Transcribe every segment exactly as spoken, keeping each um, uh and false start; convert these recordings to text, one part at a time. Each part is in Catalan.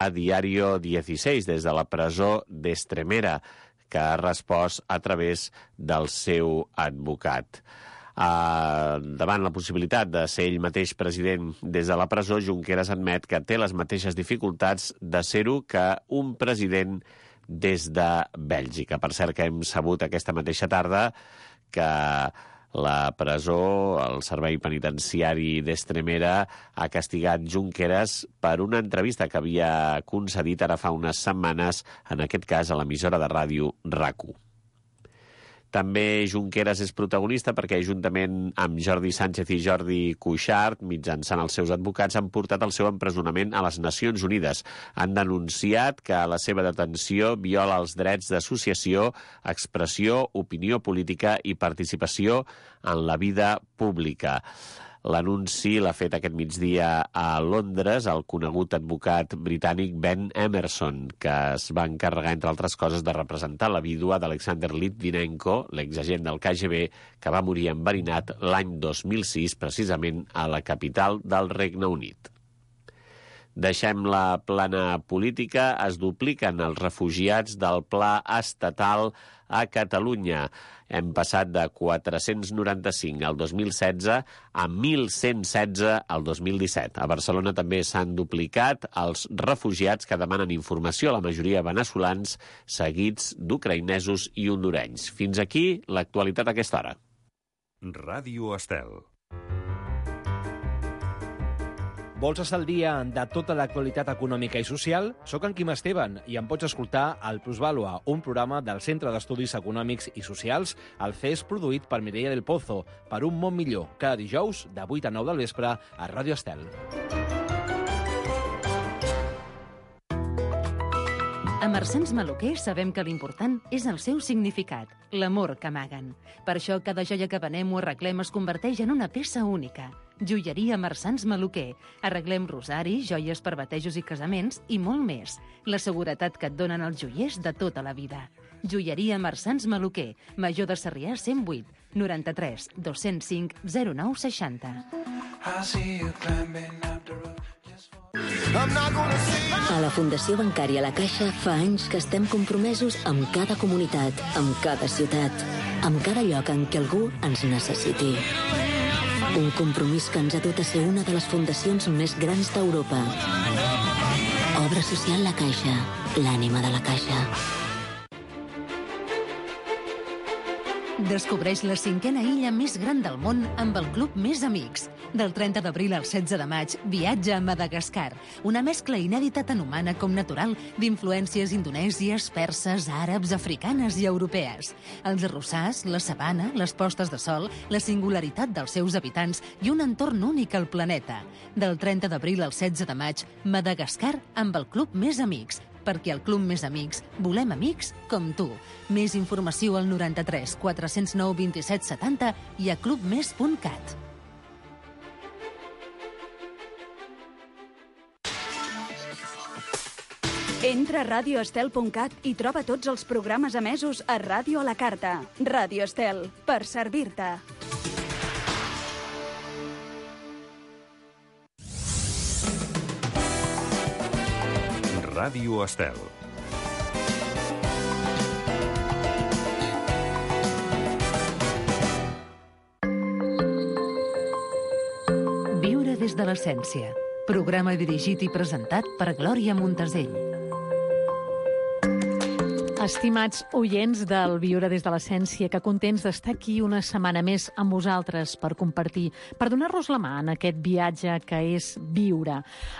a Diario dieciséis, des de la presó d'Estremera, que ha respost a través del seu advocat. Uh, davant la possibilitat de ser ell mateix president des de la presó, Junqueras admet que té les mateixes dificultats de ser-ho que un president des de Bèlgica. Per cert, que hem sabut aquesta mateixa tarda que la presó, el servei penitenciari d'Estremera, ha castigat Junqueras per una entrevista que havia concedit ara fa unes setmanes, en aquest cas a l'emissora de ràdio RAC u. També Junqueras és protagonista perquè, juntament amb Jordi Sánchez i Jordi Cuixart, mitjançant els seus advocats, han portat el seu empresonament a les Nacions Unides. Han denunciat que la seva detenció viola els drets d'associació, expressió, opinió política i participació en la vida pública. L'anunci l'ha fet aquest migdia a Londres el conegut advocat britànic Ben Emerson, que es va encarregar, entre altres coses, de representar la vídua d'Alexander Litvinenko, l'exagent del K G B, que va morir enverinat l'any dos mil sis, precisament a la capital del Regne Unit. Deixem la plana política. Es dupliquen els refugiats del pla estatal a Catalunya. Hem passat de quatre-cents noranta-cinc al dos mil setze a mil cent setze al dos mil disset. A Barcelona també s'han duplicat els refugiats que demanen informació, la majoria veneçolans, seguits d'ucraïnesos i hondurenys. Fins aquí l'actualitat a aquesta hora. Ràdio Estel. Vols estar al dia de tota l'actualitat econòmica i social? Soc en Quim Esteban i em pots escoltar al Plusvàlua, un programa del Centre d'Estudis Econòmics i Socials, el C E S, produït per Mireia del Pozo, per un món millor, cada dijous de vuit a nou del vespre a Ràdio Estel. A Marsans Maluquer sabem que l'important és el seu significat, l'amor que amaguen. Per això cada joia que venem o arreglem es converteix en una peça única. Joieria Marsans Maluquer. Arreglem rosaris, joies per batejos i casaments i molt més. La seguretat que et donen els joiers de tota la vida. Joieria Marsans Maluquer. Major de Sarrià cent vuit, noranta-tres, dos-cents cinc, zero nou seixanta. A la Fundació Bancària La Caixa fa anys que estem compromesos amb cada comunitat, amb cada ciutat, amb cada lloc en què algú ens necessiti. Un compromís que ens ha dut a ser una de les fundacions més grans d'Europa. Obra social La Caixa, l'ànima de la Caixa. Descobreix la cinquena illa més gran del món amb el Club Més Amics. Del trenta d'abril al setze de maig, viatja a Madagascar, una mescla inèdita tant humana com natural d'influències indonèsies, perses, àrabs, africanes i europees. Els arrossars, la sabana, les postes de sol, la singularitat dels seus habitants i un entorn únic al planeta. Del trenta d'abril al setze de maig, Madagascar amb el Club Més Amics, perquè al Club Més Amics volem amics com tu. Més informació al noranta-tres quatre-cents nou vint-i-set setanta i a clubmes punt cat. Entra a radio estel punt cat i troba tots els programes emesos a Ràdio a la Carta. Ràdio Estel, per servir-te. Ràdio Estel. Viure des de l'essència. Programa dirigit i presentat per Glòria Montesell. Estimats oients del Viure des de l'Essència, que contents d'estar aquí una setmana més amb vosaltres per compartir, per donar-nos la mà en aquest viatge que és viure.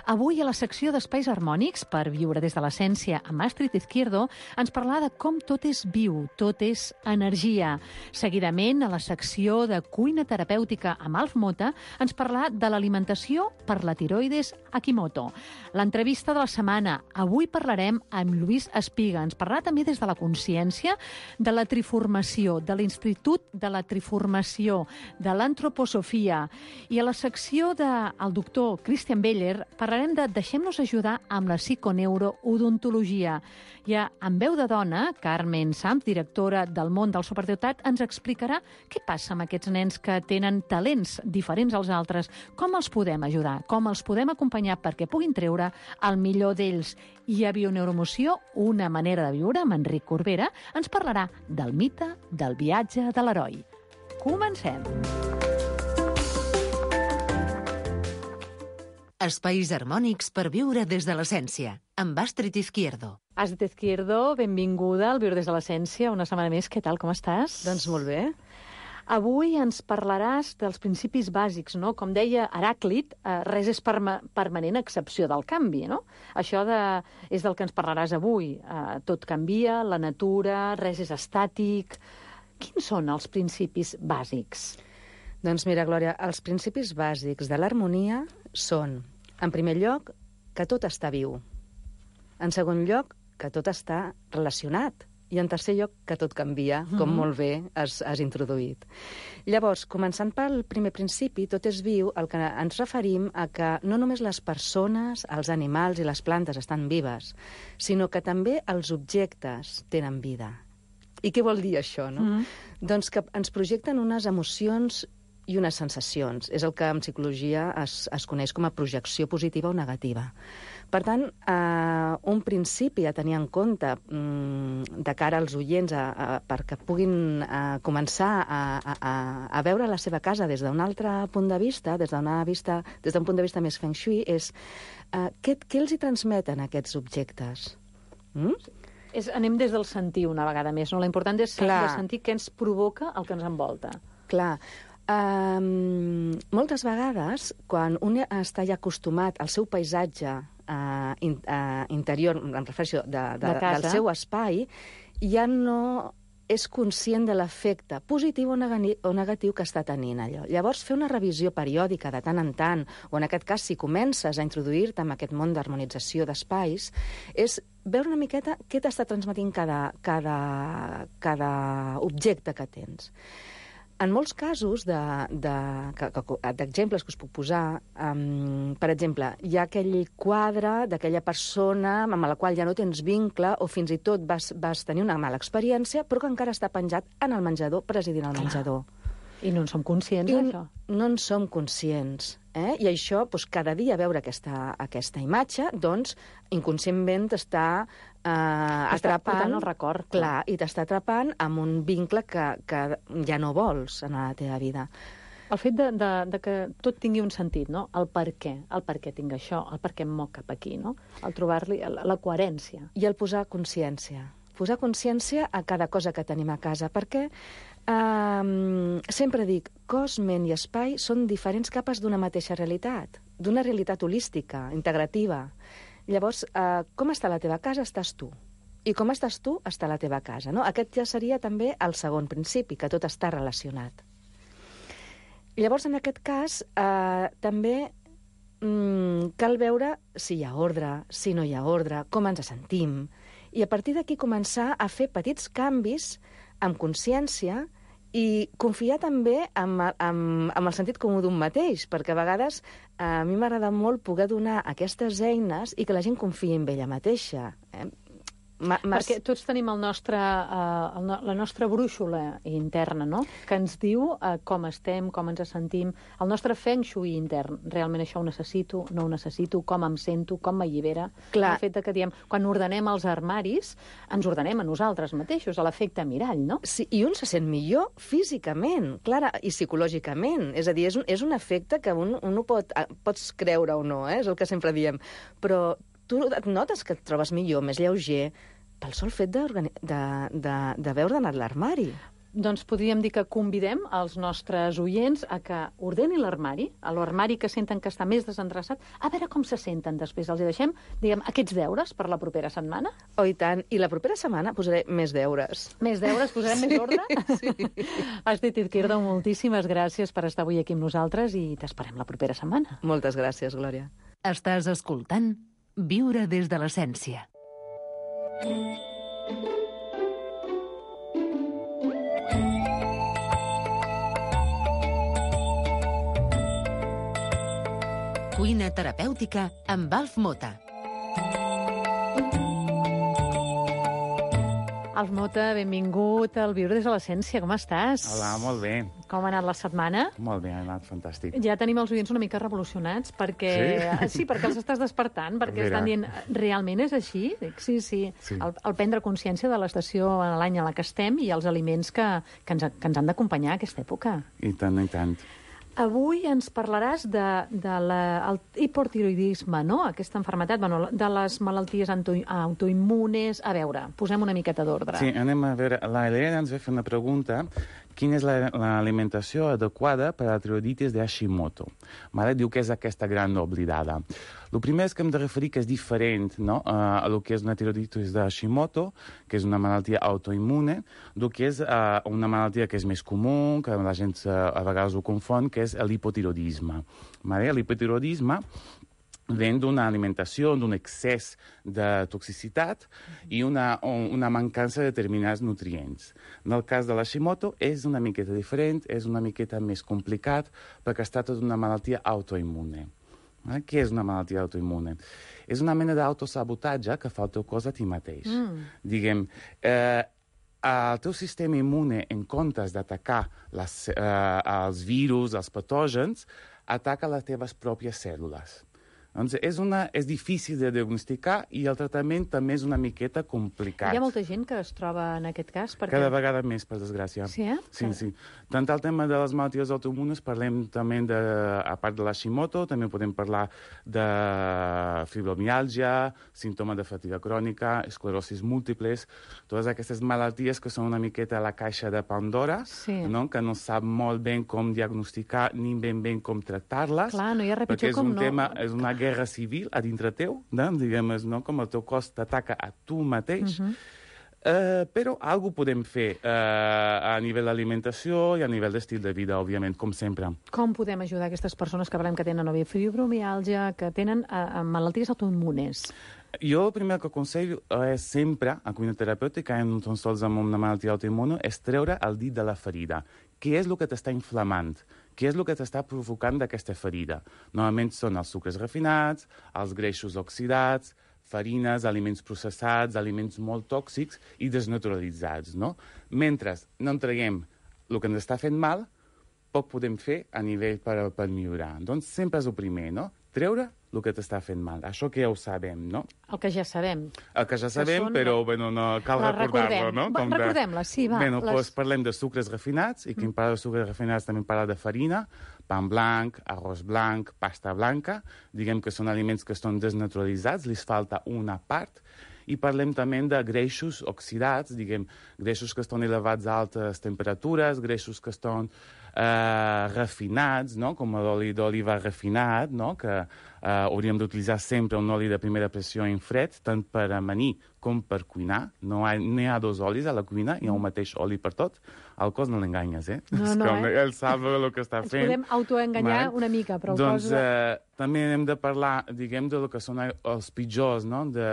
Avui, a la secció d'Espais Harmònics, per Viure des de l'Essència, amb Astrid Izquierdo, ens parlarà de com tot és viu, tot és energia. Seguidament, a la secció de Cuina Terapèutica amb Alf Mota, ens parlarà de l'alimentació per la tiroides Hashimoto. L'entrevista de la setmana. Avui parlarem amb Lluís Espiga. Ens parlarà també des de la consciència, de la triformació, de l'Institut de la Triformació, de l'antroposofia. I a la secció del doctor Christian Beller parlarem de deixem-nos ajudar amb la psiconeuroodontologia. Ja amb veu de dona, Carmen Sanz, directora del món del superdotat, ens explicarà què passa amb aquests nens que tenen talents diferents als altres, com els podem ajudar, com els podem acompanyar perquè puguin treure el millor d'ells. I a Bioneuromoció, una manera de viure, amb Enric Corbera, ens parlarà del mite del viatge de l'heroi. Comencem! Espais harmònics per viure des de l'essència, amb Astrid Izquierdo. Astrid Izquierdo, benvinguda al Viure des de l'essència, una setmana més. Què tal, com estàs? Doncs molt bé. Avui ens parlaràs dels principis bàsics, no? Com deia Heràclit, eh, res és perma permanent a excepció del canvi, no? Això de, és del que ens parlaràs avui. Eh, tot canvia, la natura, res és estàtic. Quins són els principis bàsics? Doncs mira, Glòria, els principis bàsics de l'harmonia són, en primer lloc, que tot està viu. En segon lloc, que tot està relacionat. I en tercer lloc, que tot canvia, com mm-hmm. molt bé has, has introduït. Llavors, començant pel primer principi, tot és viu, el que ens referim a que no només les persones, els animals i les plantes estan vives, sinó que també els objectes tenen vida. I què vol dir això, no? Mm-hmm. Doncs que ens projecten unes emocions i unes sensacions. És el que en psicologia es, es coneix com a projecció positiva o negativa. Per tant, eh, un principi a tenir en compte mm, de cara als oients a, a, perquè puguin eh, començar a, a, a veure la seva casa des d'un altre punt de vista, des d'un punt de vista més feng shui, és eh, què, què els hi transmeten aquests objectes? Mm? És, anem des del sentir una vegada més, no? L'important és de sentir què ens provoca el que ens envolta. Clar. Um, moltes vegades, quan un està ja acostumat al seu paisatge uh, in, uh, interior, em refereixo de, de, de del seu espai, ja no és conscient de l'efecte positiu o, negani, o negatiu que està tenint allò. Llavors, fer una revisió periòdica de tant en tant, o en aquest cas, si comences a introduir-te en aquest món d'harmonització d'espais, és veure una miqueta què t'està transmetint cada, cada, cada objecte que tens. En molts casos d'exemples que us puc posar, um, per exemple, hi ha aquell quadre d'aquella persona amb la qual ja no tens vincle o fins i tot vas, vas tenir una mala experiència, però que encara està penjat en el menjador, presidint el menjador. I no en som conscients, d'això? No en som conscients. Eh? I això, doncs, cada dia veure aquesta, aquesta imatge, doncs, inconscientment t'està eh, atrapant el record. Clar, i t'està atrapant amb un vincle que, que ja no vols en la teva vida. El fet de, de, de que tot tingui un sentit, no? El per què, el per què tinc això, el per què em moc cap aquí, no? El trobar-li la, la coherència. I el posar consciència. Posar consciència a cada cosa que tenim a casa, perquè Um, sempre dic, cos, ment i espai són diferents capes d'una mateixa realitat, d'una realitat holística, integrativa. Llavors, uh, com està la teva casa, estàs tu. I com estàs tu, està la teva casa. No? Aquest ja seria també el segon principi, que tot està relacionat. Llavors, en aquest cas, uh, també um, cal veure si hi ha ordre, si no hi ha ordre, com ens sentim, i a partir d'aquí començar a fer petits canvis amb consciència i confiar també en, en, en el sentit comú d'un mateix, perquè a vegades a mi m'agrada molt poder donar aquestes eines i que la gent confiï en ella mateixa. Eh? Perquè tots tenim el nostre, uh, el no, la nostra brúixola interna, no? Que ens diu uh, com estem, com ens sentim, el nostre feng shui intern. Realment això ho necessito, no ho necessito, com em sento, com m'allibera. Clar. El fet que diem, quan ordenem els armaris, ens ordenem a nosaltres mateixos, a l'efecte mirall, no? Sí, i un se sent millor físicament, clara, i psicològicament. És a dir, és un, és un efecte que un, un ho pot, pots creure o no, eh? És el que sempre diem. Però tu et notes que et trobes millor, més lleuger, pel sol fet d'haver ordenat l'armari. Doncs podríem dir que convidem els nostres oients a que ordenin l'armari, a l'armari que senten que està més desendreçat, a veure com se senten després. Els hi deixem, diguem, aquests deures per la propera setmana? Oh, i tant. I la propera setmana posaré més deures. Més deures? Posarem sí, més ordre? Sí. Astrid Izquierdo, moltíssimes gràcies per estar avui aquí amb nosaltres i t'esperem la propera setmana. Moltes gràcies, Glòria. Estàs escoltant Viure des de l'essència. Cuina terapèutica amb Alf Mota. Alf Mota, benvingut al Viure des de l'Essència. Com estàs? Hola, molt bé. Com ha anat la setmana? Molt bé, ha anat fantàstic. Ja tenim els oients una mica revolucionats perquè... Sí? Sí, perquè els estàs despertant, perquè Mira. estan dient, realment és així? Dic, sí, sí. Sí. El, el prendre consciència de l'estació en l'any a la que estem i els aliments que, que, ens, que ens han d'acompanyar a aquesta època. I tant, i tant. Avui ens parlaràs de, de la, el hipotiroidisme, no? Aquesta malaltia, bueno, de les malalties auto, autoimmunes. A veure, posem una miqueta d'ordre. Sí, anem a veure. La Helena ens ve fer una pregunta. Quina és l'alimentació la, adequada per a la tiroiditis de Hashimoto? Mare diu que és aquesta gran oblidada. El primer és que hem de referir que és diferent, no? a el que és una tiroiditis de Hashimoto, que és una malaltia autoimmune, del que és uh, una malaltia que és més comú, que la gent uh, a vegades ho confon, que és l'hipotiroidisme. L'hipotiroidisme ven d'una alimentació, d'un excés de toxicitat i una, una mancança de determinats nutrients. En el cas de l'Hashimoto és una miqueta diferent, és una miqueta més complicat perquè es tracta d'una malaltia autoimmune. Eh? Què és una malaltia autoimmune? És una mena d'autosabotatge que fa el teu cos a ti mateix. Mm. Diguem, eh, el teu sistema immune, en comptes d'atacar les, eh, els virus, els patògens, ataca les teves pròpies cèl·lules. Doncs és, una, és difícil de diagnosticar i el tractament també és una miqueta complicat. Hi ha molta gent que es troba en aquest cas? Perquè... Cada vegada més, per desgràcia. Sí, eh? Sí, sí. Tant el tema de les malalties autoimmunes, parlem també, de, a part de l'Hashimoto, també podem parlar de fibromiàlgia, símptoma de fatiga crònica, esclerosis múltiples, totes aquestes malalties que són una miqueta a la caixa de Pandora, sí. no? Que no sap molt ben com diagnosticar ni ben ben com tractar-les. Clar, no hi ha res pitjor perquè és com un no... tema, és una guerra civil a dintre teu, no? Diguem, no? Com el teu cos t'ataca a tu mateix. Uh -huh. uh, però alguna podem fer uh, a nivell d'alimentació i a nivell d'estil de vida, òbviament, com sempre. Com podem ajudar aquestes persones que parlem que tenen o bé fibromiàlgia, que tenen uh, malalties autoimmunes? Jo el primer que aconsello és sempre, a cuina terapèutica, no tan sols amb una malaltia autoimmune, és treure el dit de la ferida. Què és el que t'està inflamant? Què és el que t'està provocant d'aquesta ferida? Normalment són els sucres refinats, els greixos oxidats, farines, aliments processats, aliments molt tòxics i desnaturalitzats, no? Mentre no en traguem el que ens està fent mal, poc podem fer a nivell per, per millorar. Doncs sempre és el primer, no? Treure el que t'està fent mal. Això que ja ho sabem, no? El que ja sabem. El que ja sabem, són... però bueno, no cal recordar-lo, no? Com recordem-la, sí, va. Bueno, les... doncs parlem de sucres refinats, i qui mm. parla de sucres refinats també parla de farina, pa blanc, arròs blanc, pasta blanca, diguem que són aliments que estan desnaturalitzats, li falta una part, i parlem també de greixos oxidats, diguem, greixos que estan elevats a altes temperatures, greixos que estan eh, refinats, no? Com l'oli d'oliva refinat, no? Que eh, hauríem d'utilitzar sempre un oli de primera pressió en fred, tant per amanir com per cuinar. No hi ha, no hi ha dos olis a la cuina, hi ha un mateix oli per tot. Al cos no l'enganyes, eh? No, no, com eh? Ell sap el que està Ens fent. podem autoenganyar una mica, però el doncs, cos... Eh, també hem de parlar, diguem, de lo que són els pitjors, no? De,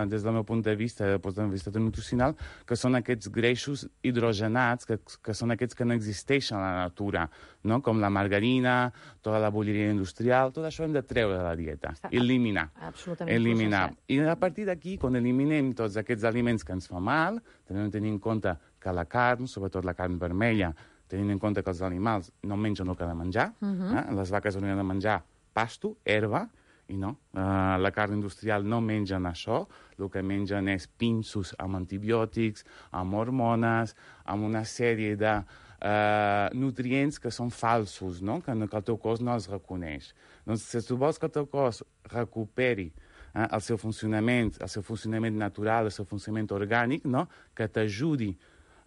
des del meu punt de vista, des del punt de vista nutricional, que són aquests greixos hidrogenats, que, que són aquests que no existeixen a la natura, no? Com la margarina, tota la bolleria industrial, tot això hem de treure de la dieta, Està eliminar. Absolutament eliminar. processat. I a partir d'aquí, quan eliminem tots aquests aliments que ens fan mal, també tenint en compte que la carn, sobretot la carn vermella, tenint en compte que els animals no mengen el que han de menjar, uh -huh. eh? Les vaques haurien de menjar pasto, herba, i no. Uh, la carn industrial no mengen això, el que mengen és pinsos amb antibiòtics, amb hormones, amb una sèrie de uh, nutrients que són falsos, no? Que, que el teu cos no els reconeix. Doncs si tu vols que el teu cos recuperi eh, el seu funcionament, el seu funcionament natural, el seu funcionament orgànic, no? Que t'ajudi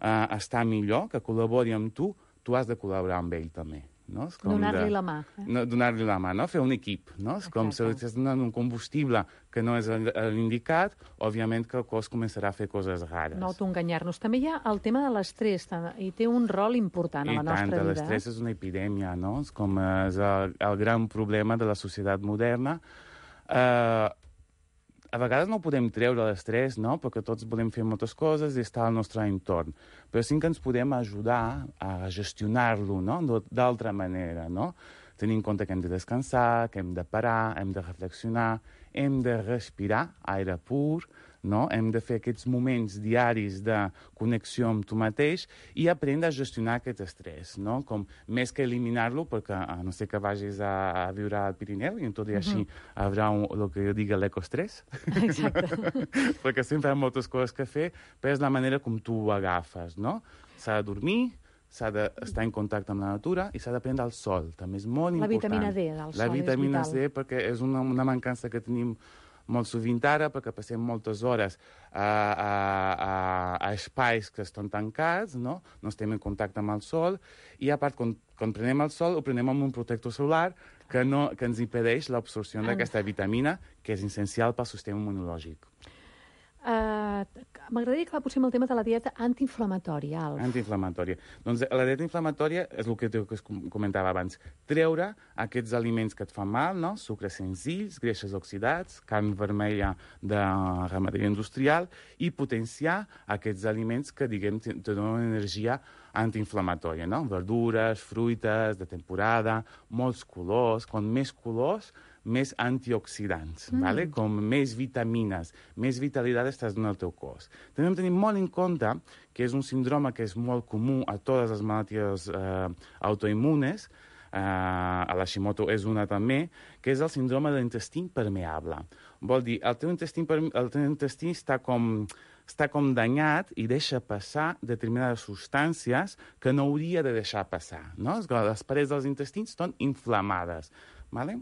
uh, a estar millor, que col·labori amb tu, tu has de col·laborar amb ell també. No? Donar-li la mà. Eh? No, donar-li la mà, no? Fer un equip. No? És com si li estàs donant un combustible que no és l'indicat, òbviament que el cos començarà a fer coses rares. No autoenganyar-nos. També hi ha el tema de l'estrès, i té un rol important a la nostra vida. I tant, l'estrès és una epidèmia, no? És com és el, el gran problema de la societat moderna. Eh... Uh, A vegades no podem treure l'estrès, no? Perquè tots volem fer moltes coses i estar al nostre entorn. Però sí que ens podem ajudar a gestionar-lo, no? D'altra manera, no? tenir en compte que hem de descansar, que hem de parar, hem de reflexionar, hem de respirar aire pur, no? Hem de fer aquests moments diaris de connexió amb tu mateix i aprendre a gestionar aquest estrès, no? Com més que eliminar-lo, perquè a no sé que vagis a, a viure al Pirineu i tot i així uh-huh. haurà un, el que jo diga l'ecostrès. Exacte. Perquè sempre hi ha moltes coses que fer, però és la manera com tu ho agafes, no? S'ha de dormir, s'ha d'estar en contacte amb la natura i s'ha de prendre el sol, també és molt la important. La vitamina D del sol la vitamina és vital. D, perquè és una, una mancança que tenim molt sovint ara, perquè passem moltes hores a, a, a, a espais que estan tancats, no? No estem en contacte amb el sol, i a part, quan, quan prenem el sol, ho prenem amb un protector solar que, no, que ens impedeix l'absorció d'aquesta vitamina, que és essencial pel sistema immunològic. Uh, M'agradaria que posem el tema de la dieta antiinflamatòria, Alf. Antiinflamatòria. Doncs la dieta inflamatòria és el que, que es comentava abans. Treure aquests aliments que et fan mal, no? Sucres senzills, greixes oxidats, carn vermella de ramaderia industrial, i potenciar aquests aliments que, diguem, te, te donen energia antiinflamatòria, no? Verdures, fruites, de temporada, molts colors. Quan més colors, més antioxidants, mm. vale? Com més vitamines, més vitalitat estàs donant al teu cos. També hem de tenir molt en compte que és un síndrome que és molt comú a totes les malalties eh, autoimmunes, eh, a l'Hashimoto és una també, que és el síndrome de l'intestí permeable. Vol dir, el teu intestí, el teu intestí està com... està com danyat i deixa passar determinades substàncies que no hauria de deixar passar, no? Les parets dels intestins estan inflamades, vale?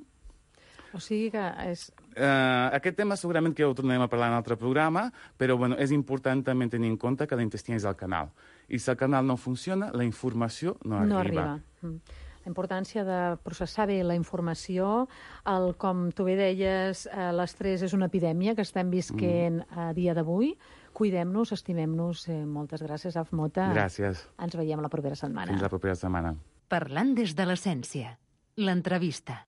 O sigui que és... Uh, aquest tema segurament que ho tornarem a parlar en un altre programa, però bueno, és important també tenir en compte que l'intestí és el canal. I si el canal no funciona, la informació no arriba. No arriba. Mm. La importància de processar bé la informació, el, com tu bé deies, eh, l'estrès és una epidèmia que estem visquent mm. a dia d'avui. Cuidem-nos, estimem-nos. Eh, moltes gràcies, Alf Mota. Gràcies. Ens veiem la propera setmana. Fins la propera setmana. Parlant des de l'essència. L'entrevista.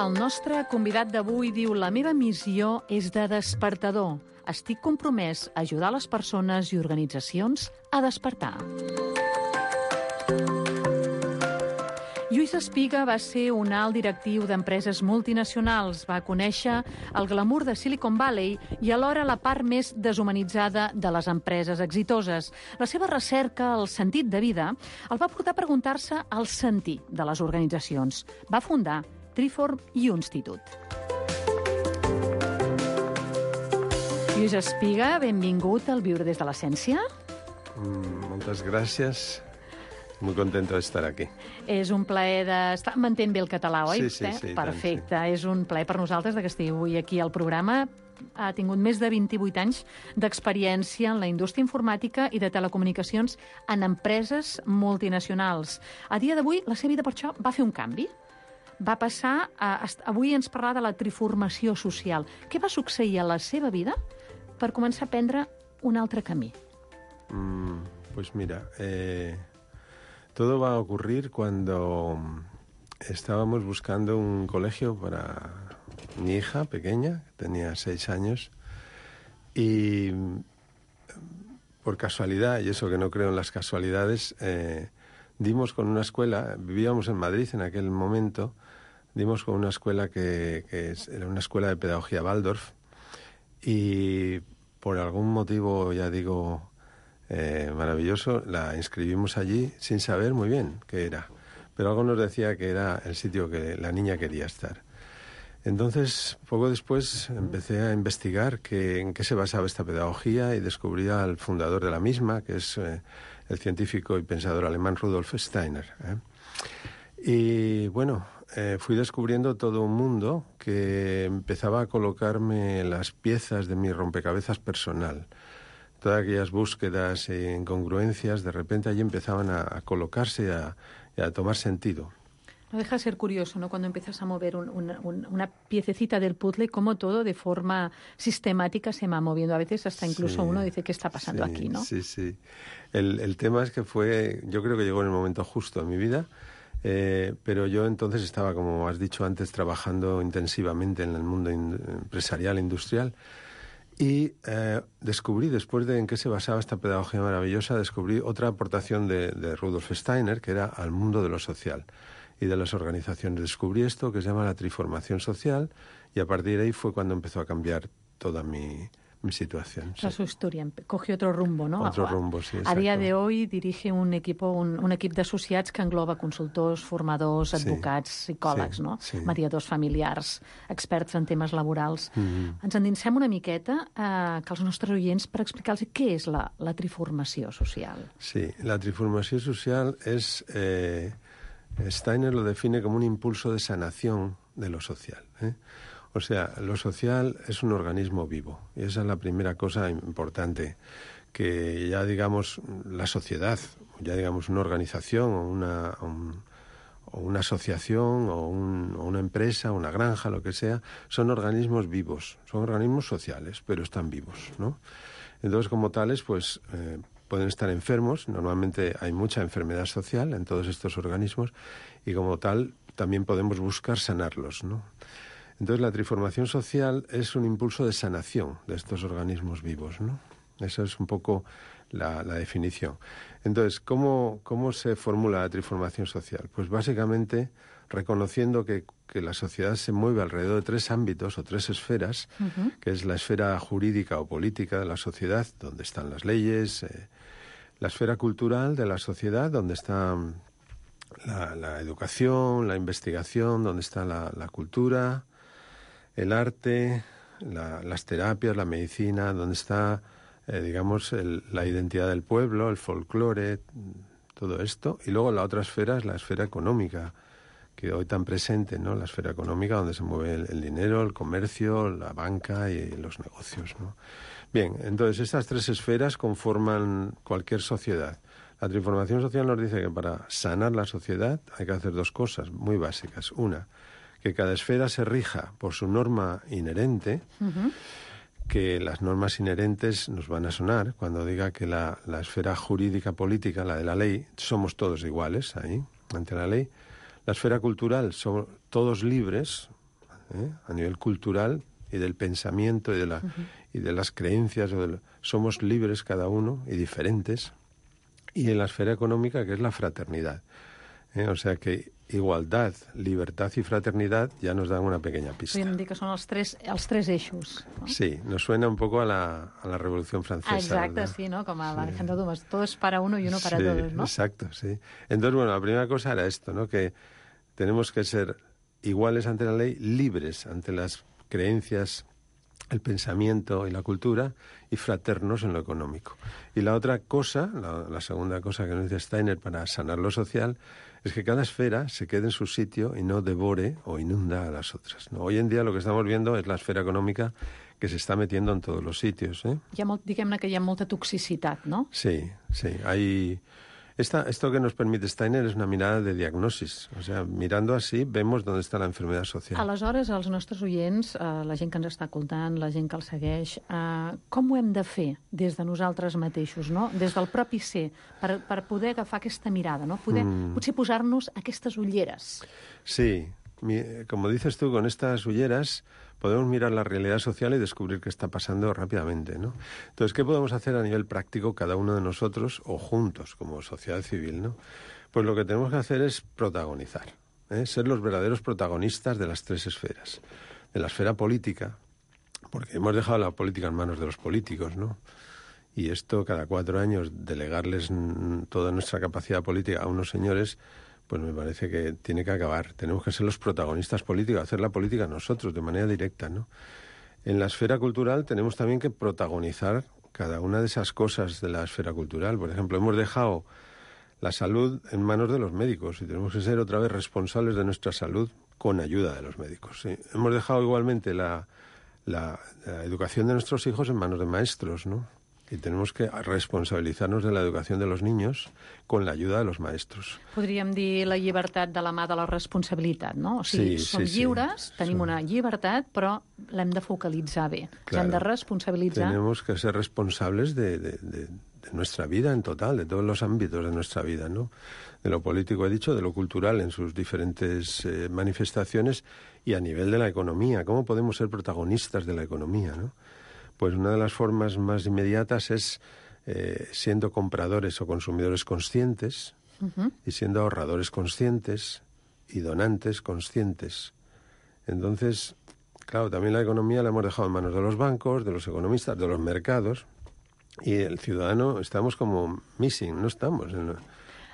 El nostre convidat d'avui diu: la meva missió és de despertador. Estic compromès a ajudar les persones i organitzacions a despertar. Lluís Espiga va ser un alt directiu d'empreses multinacionals. Va conèixer el glamour de Silicon Valley i alhora la part més deshumanitzada de les empreses exitoses. La seva recerca, el sentit de vida, el va portar a preguntar-se el sentit de les organitzacions. Va fundar Treform Institute. Lluís Espiga, benvingut al Viure des de l'Essència. Mm, moltes gràcies. Muy contento de estar aquí. És un plaer de... M'entén bé el català, oi? Sí, sí, sí. Perfecte. Tant, sí. És un plaer per nosaltres que estigueu avui aquí al programa. Ha tingut més de vint-i-vuit anys d'experiència en la indústria informàtica i de telecomunicacions en empreses multinacionals. A dia d'avui, la seva vida per això va fer un canvi. Va passar a... Avui ens parlar de la triformació social. Què va succeir a la seva vida per començar a prendre un altre camí? Mm, pues mira... Eh... Todo va a ocurrir cuando estábamos buscando un colegio para mi hija pequeña, que tenía seis años, y por casualidad, y eso que no creo en las casualidades, eh, dimos con una escuela, vivíamos en Madrid en aquel momento, dimos con una escuela que, que era una escuela de pedagogía Waldorf, y por algún motivo, ya digo... Eh, maravilloso, la inscribimos allí sin saber muy bien qué era, pero algo nos decía que era el sitio que la niña quería estar. Entonces, poco después empecé a investigar que, en qué se basaba esta pedagogía y descubrí al fundador de la misma, que es eh, el científico y pensador alemán Rudolf Steiner. ¿eh? Y bueno, eh, fui descubriendo todo un mundo que empezaba a colocarme las piezas de mi rompecabezas personal. Todas aquellas búsquedas e incongruencias, de repente allí empezaban a, a colocarse a, y a tomar sentido. No deja de ser curioso, ¿no? Cuando empiezas a mover un, un, un, una piececita del puzzle, cómo todo de forma sistemática se va moviendo. A veces hasta incluso sí, uno dice, ¿qué está pasando sí, aquí, no? Sí, sí. El, el tema es que fue, yo creo que llegó en el momento justo en mi vida, eh, pero yo entonces estaba, como has dicho antes, trabajando intensivamente en el mundo in, empresarial, industrial. Y eh, descubrí, después de en qué se basaba esta pedagogía maravillosa, descubrí otra aportación de, de Rudolf Steiner, que era al mundo de lo social y de las organizaciones. Descubrí esto que se llama la triformación social, y a partir de ahí fue cuando empezó a cambiar toda mi, mi situación. O sea, sí. su historia cogió otro rumbo, ¿no? Otro rumbo, sí, exacto. A día de hoy dirige un equipo, un, un equip d'associats que engloba consultors, formadors, advocats, sí, psicòlegs, sí, no? Sí. Mediadors familiars, experts en temes laborals. Mm-hmm. Ens endinsem una miqueta eh, que els nostres oients per explicar-los què és la, la triformació social. Sí, la triformación social es... Eh, Steiner lo define como un impulso de sanación de lo social, ¿eh? O sea, lo social es un organismo vivo, y esa es la primera cosa importante, que ya digamos la sociedad, ya digamos una organización o una, un, o una asociación o, un, o una empresa, una granja, lo que sea, son organismos vivos, son organismos sociales, pero están vivos, ¿no? Entonces, como tales, pues eh, pueden estar enfermos, normalmente hay mucha enfermedad social en todos estos organismos, y como tal también podemos buscar sanarlos, ¿no? Entonces, la triformación social es un impulso de sanación de estos organismos vivos, ¿no? Esa es un poco la, la definición. Entonces, ¿cómo, ¿cómo se formula la triformación social? Pues básicamente reconociendo que, que la sociedad se mueve alrededor de tres ámbitos o tres esferas, uh-huh. que es la esfera jurídica o política de la sociedad, donde están las leyes, eh, la esfera cultural de la sociedad, donde está la, la educación, la investigación, donde está la, la cultura, el arte, la, las terapias, la medicina, donde está, eh, digamos, el, la identidad del pueblo, el folclore, todo esto. Y luego la otra esfera es la esfera económica, que hoy tan presente, ¿no? La esfera económica, donde se mueve el, el dinero, el comercio, la banca y los negocios, ¿no? Bien, entonces estas tres esferas conforman cualquier sociedad. La triformación social nos dice que para sanar la sociedad hay que hacer dos cosas muy básicas. Una, que cada esfera se rija por su norma inherente, uh-huh. que las normas inherentes nos van a sonar cuando diga que la, la esfera jurídica política, la de la ley, somos todos iguales ahí, ante la ley. La esfera cultural, somos todos libres, ¿eh? A nivel cultural y del pensamiento y de, la, uh-huh. y de las creencias, o de, somos libres cada uno y diferentes. Y en la esfera económica, que es la fraternidad, ¿eh? O sea que igualdad, libertad y fraternidad ja nos dan una pequeña pista. Podríem dir que són els tres, els tres eixos. ¿No? Sí, nos suena un poco a la, a la Revolución Francesa. Exacto, ¿no? Sí, ¿no? Como a Alejandro sí. Dumas, todo es para uno y uno para sí, todos, ¿no? Exacto, sí. Entonces, bueno, la primera cosa era esto, ¿no? Que tenemos que ser iguales ante la ley, libres ante las creencias, el pensamiento y la cultura, y fraternos en lo económico. Y la otra cosa, la, la segunda cosa que nos dice Steiner para sanar lo social, es que cada esfera se quede en su sitio y no devore o inunda a las otras, ¿no? Hoy en día lo que estamos viendo es la esfera económica que se está metiendo en todos los sitios, ¿eh? Hi ha molt, diguem-ne que hi ha molta toxicitat, no? Sí, sí. Hay... Esta, esto que nos permite Steiner es una mirada de diagnosis. O sea, mirando así vemos dónde está la enfermedad social. Aleshores, els nostres oients, eh, la gent que ens està escoltant, la gent que el segueix, eh, com ho hem de fer des de nosaltres mateixos, no? Des del propi ser, per, per poder agafar aquesta mirada, no? Poder, mm. Potser posar-nos aquestes ulleres. Sí, mi, como dices tú, con estas ulleras podemos mirar la realidad social y descubrir qué está pasando rápidamente, ¿no? Entonces, ¿qué podemos hacer a nivel práctico cada uno de nosotros o juntos como sociedad civil, ¿no? Pues lo que tenemos que hacer es protagonizar, ¿eh? Ser los verdaderos protagonistas de las tres esferas. De la esfera política, porque hemos dejado la política en manos de los políticos, ¿no? Y esto, cada cuatro años, delegarles toda nuestra capacidad política a unos señores, pues me parece que tiene que acabar. Tenemos que ser los protagonistas políticos, hacer la política nosotros, de manera directa, ¿no? En la esfera cultural tenemos también que protagonizar cada una de esas cosas de la esfera cultural. Por ejemplo, hemos dejado la salud en manos de los médicos y tenemos que ser otra vez responsables de nuestra salud con ayuda de los médicos, ¿sí? Hemos dejado igualmente la, la, la educación de nuestros hijos en manos de maestros, ¿no? Y tenemos que responsabilitzar-nos de la educació de los niños con la ayuda de los maestros. Podríem dir la llibertat de la mà de la responsabilitat, no? O sigui, sí, som sí, lliures, sí. tenim Som... una llibertat, però l'hem de focalitzar bé. Claro. Hem de responsabilitzar. Tenemos que ser responsables de, de, de, de nuestra vida en total, de todos los ámbitos de nuestra vida, ¿no? De lo político, he dicho, de lo cultural en sus diferentes eh, manifestaciones y a nivel de la economía. ¿Cómo podemos ser protagonistas de la economía, no? Pues una de las formas más inmediatas es eh, siendo compradores o consumidores conscientes uh-huh. y siendo ahorradores conscientes y donantes conscientes. Entonces, claro, también la economía la hemos dejado en manos de los bancos, de los economistas, de los mercados, y el ciudadano estamos como missing, no estamos en...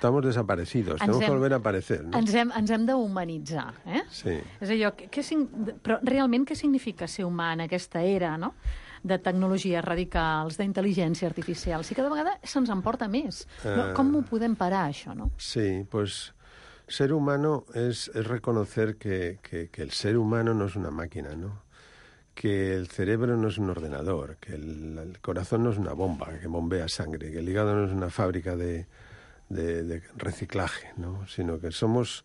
Estamos desaparecidos, ens tenemos hem, que volver a aparecer. No? Ens hem, ens hem d'humanitzar. Eh? Sí. És allò, que, que, però realment què significa ser humà en aquesta era, no?, de tecnologies radicals, d'intel·ligència artificial? Si cada vegada se'ns emporta més. No? Com ho podem parar, això? No? Sí, pues ser humano es, es reconocer que, que, que el ser humano no es una máquina, ¿no? Que el cerebro no es un ordenador, que el, el corazón no es una bomba que bombea sangre, que el hígado no es una fábrica de... De, de reciclaje, ¿no? Sino que somos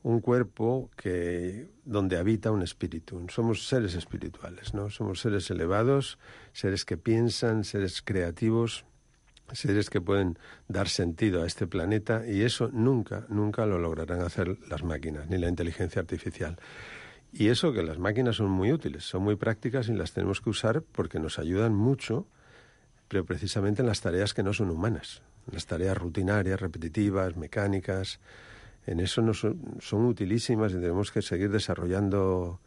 un cuerpo que donde habita un espíritu. Somos seres espirituales, ¿no? Somos seres elevados, seres que piensan, seres creativos, seres que pueden dar sentido a este planeta, y eso nunca, nunca lo lograrán hacer las máquinas, ni la inteligencia artificial. Y eso que las máquinas son muy útiles, son muy prácticas y las tenemos que usar porque nos ayudan mucho, pero precisamente en las tareas que no son humanas. Las tareas rutinarias, repetitivas, mecánicas, en eso no son, son utilísimas y tenemos que seguir desarrollando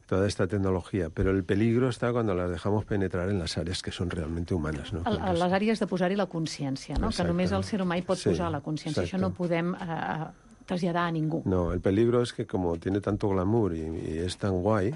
toda esta tecnologia. Però el peligro està quan les dejamos penetrar en les àrees que són realment humanes. ¿No? A les àrees de posar-hi la consciència, no? Que només el ser humà hi pot sí, posar la consciència. Això no podem eh, traslladar a ningú. No, el peligro es que como tiene tanto glamour y, y es tan guay,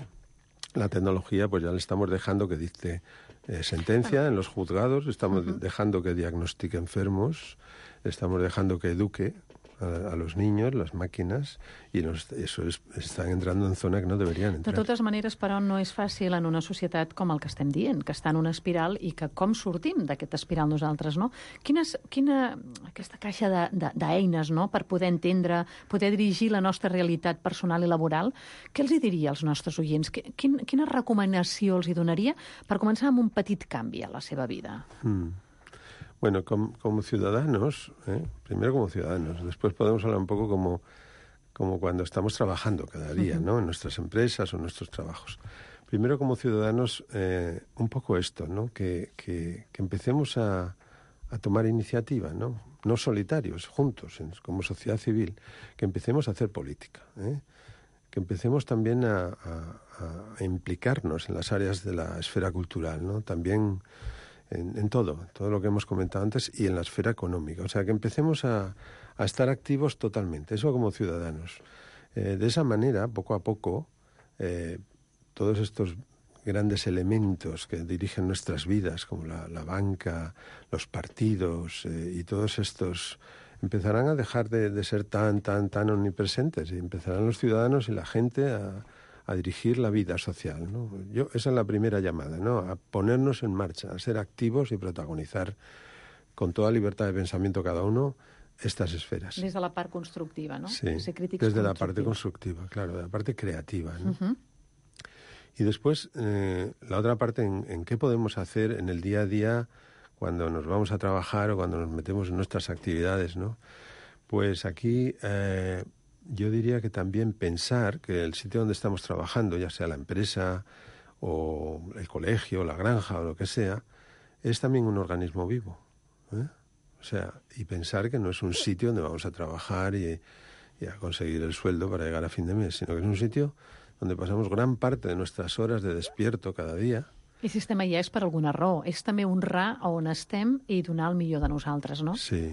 la tecnología pues ya le estamos dejando que dicte Eh, sentencia en los juzgados, estamos uh-huh. dejando que diagnostique enfermos, estamos dejando que eduque a, a los niños, las máquinas, y nos, eso es, están entrando en zona que no deberían entrar. De totes maneres, però, no és fàcil en una societat com el que estem dient, que està en una espiral i que com sortim d'aquesta espiral nosaltres, no? Quines, quina, aquesta caixa d'eines, no?, per poder entendre, poder dirigir la nostra realitat personal i laboral, què els hi diria als nostres oients? Quin, quina recomanació els hi donaria per començar amb un petit canvi a la seva vida? Mm. Bueno, como, como ciudadanos, ¿eh? primero como ciudadanos, después podemos hablar un poco como, como cuando estamos trabajando cada día, ¿no? En nuestras empresas o en nuestros trabajos. Primero como ciudadanos, eh, un poco esto, ¿no? Que, que, que empecemos a, a tomar iniciativa, ¿no? No solitarios, juntos, en, como sociedad civil, que empecemos a hacer política, ¿eh? Que empecemos también a, a, a implicarnos en las áreas de la esfera cultural, ¿no? También... En, en todo, todo lo que hemos comentado antes, y en la esfera económica. O sea, que empecemos a, a estar activos totalmente, eso como ciudadanos. Eh, de esa manera, poco a poco, eh, todos estos grandes elementos que dirigen nuestras vidas, como la, la banca, los partidos eh, y todos estos, empezarán a dejar de, de ser tan, tan, tan omnipresentes, y empezarán los ciudadanos y la gente a... a dirigir la vida social, ¿no? Yo, esa es la primera llamada, ¿no? A ponernos en marcha, a ser activos y protagonizar con toda libertad de pensamiento cada uno estas esferas. Desde la parte constructiva, ¿no? Sí, desde la parte constructiva, claro, de la parte creativa, ¿no? Uh-huh. Y después, eh, la otra parte, en, en qué podemos hacer en el día a día cuando nos vamos a trabajar o cuando nos metemos en nuestras actividades, ¿no? Pues aquí... Eh, yo diría que también pensar que el sitio donde estamos trabajando, ya sea la empresa o el colegio, la granja o lo que sea, es también un organismo vivo, ¿eh? O sea, y pensar que no es un sitio donde vamos a trabajar y, y a conseguir el sueldo para llegar a fin de mes, sino que es un sitio donde pasamos gran parte de nuestras horas de despierto cada día. I si estem allà és per alguna raó, és també honrar on estem i donar el millor de nosaltres, no? Sí.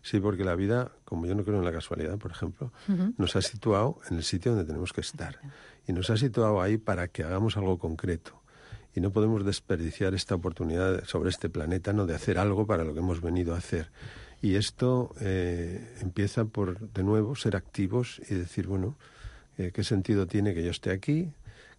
Sí, porque la vida, como yo no creo en la casualidad, por ejemplo, uh-huh. nos ha situado en el sitio donde tenemos que estar. Y nos ha situado ahí para que hagamos algo concreto. Y no podemos desperdiciar esta oportunidad sobre este planeta, ¿no?, de hacer algo para lo que hemos venido a hacer. Y esto eh, empieza por, de nuevo, ser activos y decir, bueno, eh, ¿qué sentido tiene que yo esté aquí?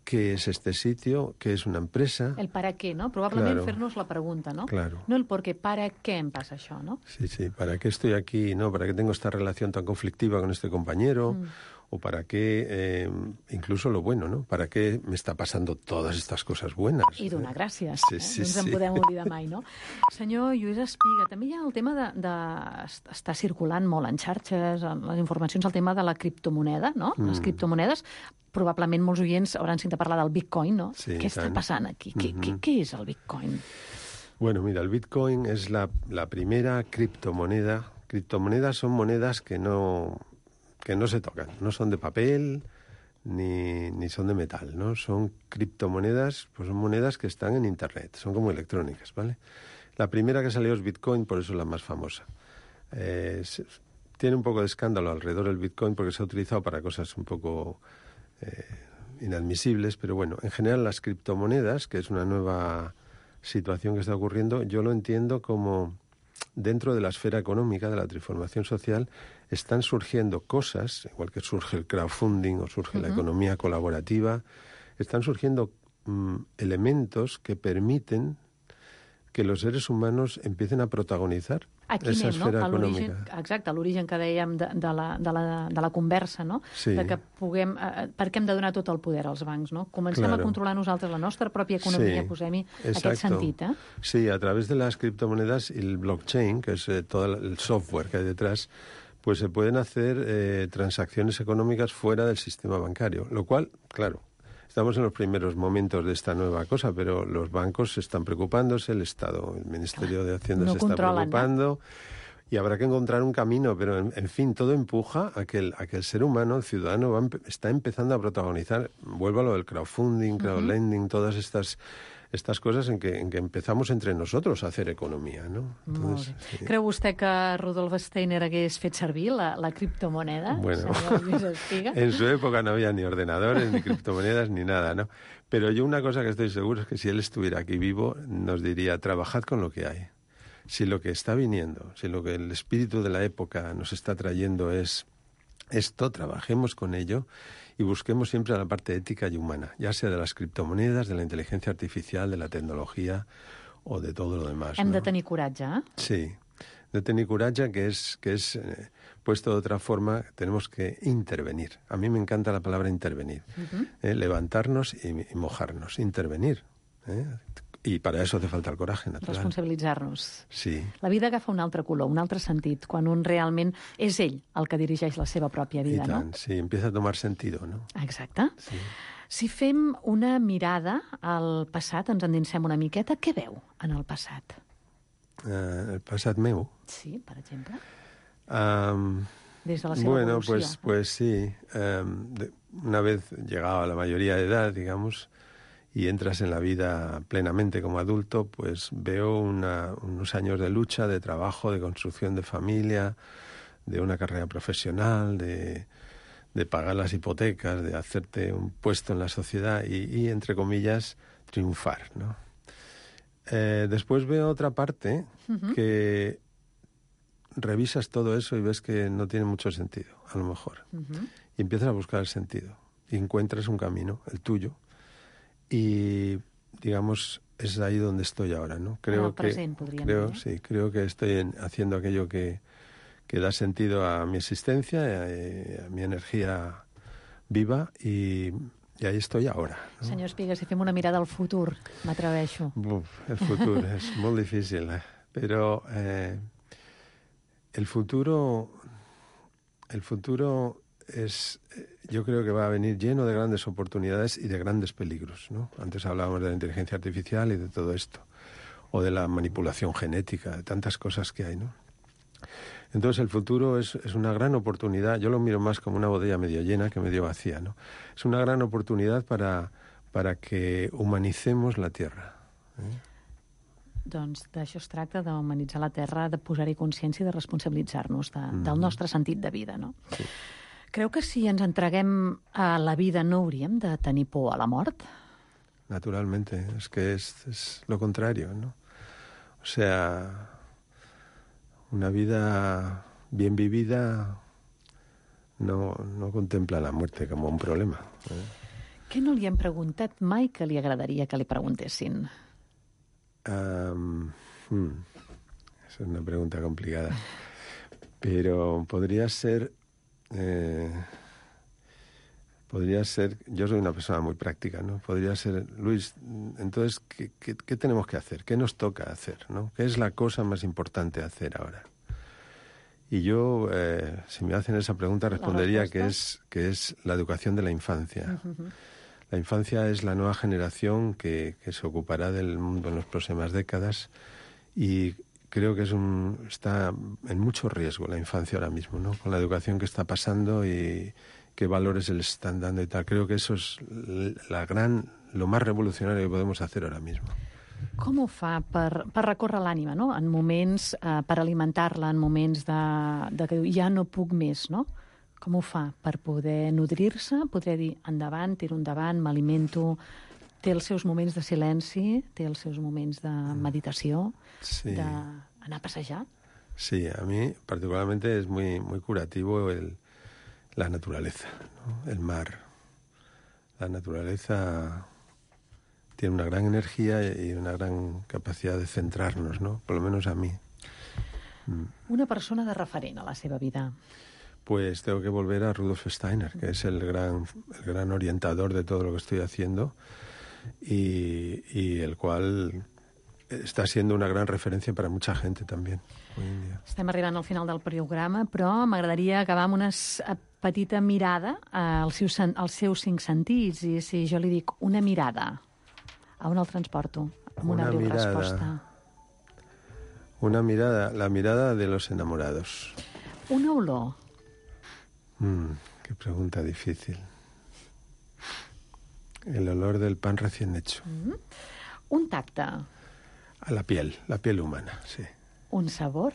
¿Qué es este sitio? ¿Qué es una empresa? El para què, no? Probablement claro. Fer-nos la pregunta, no? Claro. No el por qué, para què em passa això, no? Sí, sí, ¿para qué estoy aquí? ¿No? ¿Para qué tengo esta relación tan conflictiva con este compañero? Mm. o para qué, eh, incluso lo bueno, ¿no? ¿Para qué me està passant totes estas coses buenas? I donar gràcies, sí, eh? sí, no ens en sí. podem oblidar mai, no? Senyor Lluís Espiga, també hi ha el tema de, de... està circulant molt en xarxes, en les informacions, el tema de la criptomoneda, no? Mm. Les criptomonedes, probablement molts oients hauran sentit parlar del Bitcoin, no? Sí, què està tant. passant aquí? Què, Mm-hmm. què, què és el Bitcoin? Bueno, mira, el Bitcoin es la, la primera criptomoneda. Criptomonedas son monedas que no, que no se tocan, no son de papel ni, ni son de metal, ¿no? Son criptomonedas, pues son monedas que están en Internet, son como electrónicas, ¿vale? La primera que salió es Bitcoin, por eso es la más famosa. Eh, se, tiene un poco de escándalo alrededor del Bitcoin porque se ha utilizado para cosas un poco eh, inadmisibles, pero bueno, en general las criptomonedas, que es una nueva situación que está ocurriendo, yo lo entiendo como dentro de la esfera económica, de la transformación social, están surgiendo cosas, igual que surge el crowdfunding o surge uh-huh. la economía colaborativa, están surgiendo mm, elementos que permiten que los seres humanos empiecen a protagonizar Aquí esa anem, no? esfera A l'origen, econòmica. exacte, l'origen que dèiem de, de, la, de, la, de la conversa, no? Sí. De que puguem... Eh, per què hem de donar tot el poder als bancs, no? Comencem Claro. a controlar nosaltres la nostra pròpia economia, Sí, posem-hi exacto. aquest sentit, eh? Sí, a través de las criptomonedas y el blockchain, que es eh, todo el software que hay detrás, pues se pueden hacer eh, transacciones económicas fuera del sistema bancario, lo cual, claro, estamos en los primeros momentos de esta nueva cosa, pero los bancos están preocupándose, el Estado, el Ministerio de Hacienda No se está controlan, preocupando, y habrá que encontrar un camino, pero en, en fin, todo empuja a que, el, a que el ser humano, el ciudadano, va empe- está empezando a protagonizar, vuelvo a lo del crowdfunding, crowdlending, todas estas estas cosas en que, en que empezamos entre nosotros a hacer economía, ¿no? Entonces, Molt bé. sí. Creu vostè que Rudolf Steiner hagués fet servir la, la criptomoneda? Bueno, senyor Lluís Espiga? en su época no había ni ordenadores, ni criptomonedas, ni nada, ¿no? Pero yo una cosa que estoy seguro es que si él estuviera aquí vivo, nos diría, trabajad con lo que hay. Si lo que está viniendo, si lo que el espíritu de la época nos está trayendo es esto, trabajemos con ello y busquemos siempre la parte ética y humana, ya sea de las criptomonedas, de la inteligencia artificial, de la tecnología o de todo lo demás. Hem ¿no? de tenir coratge, eh? Sí, de tenir coratge, que es, que es eh, puesto de otra forma, tenemos que intervenir. A mí me encanta la palabra intervenir. Uh-huh. eh, levantarnos y, y mojarnos, intervenir. Eh? I per a això hace falta el coratge, natural. Responsabilitzar-nos. Sí. La vida agafa un altre color, un altre sentit, quan un realment és ell el que dirigeix la seva pròpia I vida, tant, no? sí, empieza a tomar sentido, ¿no? Exacte. Sí. Si fem una mirada al passat, ens endinsem una miqueta, què veu en el passat? Uh, el passat meu. Sí, per exemple. Um, Des de la seva bueno, evolució. pues, pues sí. Um, de, una vez llegado a la mayoría de edad, digamos, y entras en la vida plenamente como adulto, pues veo una, unos años de lucha, de trabajo, de construcción de familia, de una carrera profesional, de, de pagar las hipotecas, de hacerte un puesto en la sociedad y, y entre comillas, triunfar, ¿no? Eh, después veo otra parte uh-huh. que revisas todo eso y ves que no tiene mucho sentido, a lo mejor. Uh-huh. Y empiezas a buscar el sentido. Y encuentras un camino, el tuyo. Y, digamos, es ahí donde estoy ahora, ¿no? Creo el present, que podríem creo, dir. sí, creo que estoy en, haciendo aquello que, que da sentido a mi existencia, a, a mi energía viva y, y ahí estoy ahora, ¿no? Senyor Espiga, si fem una mirada al futur, m'atreveixo. Uf, el futuro es muy difícil, ¿eh? Pero eh, el futuro, el futuro es, yo creo que va a venir lleno de grandes oportunidades y de grandes peligros, ¿no? Antes hablábamos de la inteligencia artificial y de todo esto, o de la manipulación genética, de tantas cosas que hay, ¿no? Entonces el futuro es, es una gran oportunidad, yo lo miro más como una botella medio llena que medio vacía, ¿no? Es una gran oportunidad para, para que humanicemos la Tierra, ¿eh? Doncs d'això es tracta, d'humanitzar la Terra, de posar-hi consciència i de responsabilitzar-nos de, mm. del nostre sentit de vida, no? Sí. Creu que si ens entreguem a la vida no hauríem de tenir por a la mort? Naturalmente, es que es, es lo contrario, ¿no? O sea, una vida bien vivida no, no contempla la muerte como un problema, ¿eh? Què no li hem preguntat mai que li agradaria que li preguntessin? Um, hmm, es una pregunta complicada, pero podría ser... Eh, podría ser, yo soy una persona muy práctica, ¿no? Podría ser, Luis, entonces, ¿qué, qué, qué tenemos que hacer? ¿Qué nos toca hacer, ¿no? ¿Qué es la cosa más importante a hacer ahora? Y yo, eh, si me hacen esa pregunta, respondería que es, que es la educación de la infancia. Uh-huh. La infancia es la nueva generación que, que se ocupará del mundo en las próximas décadas y creo que es un, está en mucho riesgo la infancia ahora mismo, ¿no? Con la educación que está pasando y qué valores se les están dando y tal. Creo que eso es la gran, lo más revolucionario que podemos hacer ahora mismo. Com ho fa per, per recórrer l'ànima, no? En moments, eh, per alimentar-la, en moments de, de que ja no puc més, no? Com ho fa per poder nodrir-se, poder dir endavant, tiro endavant, m'alimento, té els seus moments de silenci, té els seus moments de meditació, sí. D'anar a passejar? Sí, a mí particularmente es muy, muy curativo el, la naturaleza, ¿no? El mar. La naturaleza tiene una gran energía y una gran capacidad de centrarnos, ¿no? Por lo menos a mí. Una persona de referent a la seva vida. Pues tengo que volver a Rudolf Steiner, que es el gran, el gran orientador de todo lo que estoy haciendo y, y el cual está siendo una gran referencia para mucha gente también hoy en día. Estem arribant al final del programa, però m'agradaria acabar amb una petita mirada als seus, als seus cinc sentits. I si jo li dic una mirada, a on el transporto? Amb una, una breu mirada, resposta. Una mirada, la mirada de los enamorados. Una olor. Mm, qué pregunta difícil. El olor del pan recién hecho. Mm. Un tacte. A la piel, la piel humana, sí. Un sabor.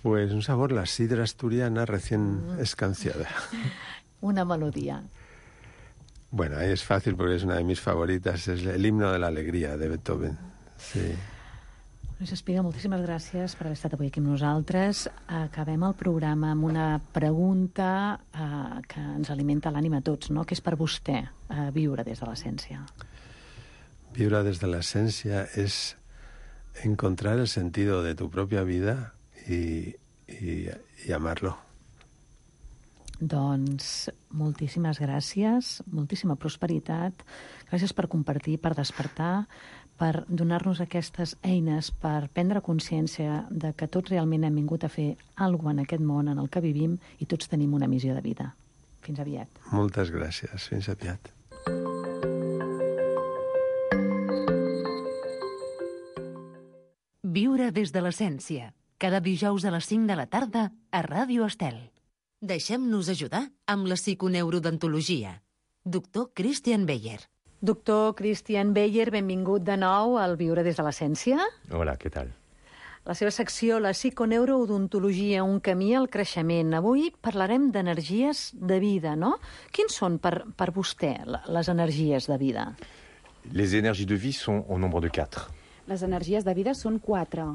Pues un sabor, la sidra asturiana recién mm. escanciada. Una melodía. Bueno, ahí es fácil porque es una de mis favoritas, es el himno de la alegría de Beethoven. Sí. Luis Espiga, moltíssimes gràcies per haver estat avui aquí amb nosaltres. Acabem el programa amb una pregunta eh, que ens alimenta l'ànima a tots, no? Que és per vostè eh, viure des de l'essència. Viure des de l'essència es encontrar el sentido de tu propia vida y, y, y amarlo. Doncs moltíssimes gràcies, moltíssima prosperitat. Gràcies per compartir, per despertar, per donar-nos aquestes eines per prendre consciència de que tots realment hem vingut a fer alguna cosa en aquest món en el que vivim i tots tenim una missió de vida. Fins aviat. Moltes gràcies. Fins aviat. Viure des de l'essència. Cada dijous a les cinc de la tarda a Ràdio Estel. Deixem-nos ajudar amb la psiconeurodontologia. Doctor Christian Beyer. Doctor Christian Beyer, benvingut de nou al Viure des de l'essència. Hola, què tal? La seva secció, la psiconeurodontologia, un camí al creixement. Avui parlarem d'energies de vida, no? Quins són per, per vostè les energies de vida? Les énergies de vie sont au nombre de quatre. Les energies de vida són quatre.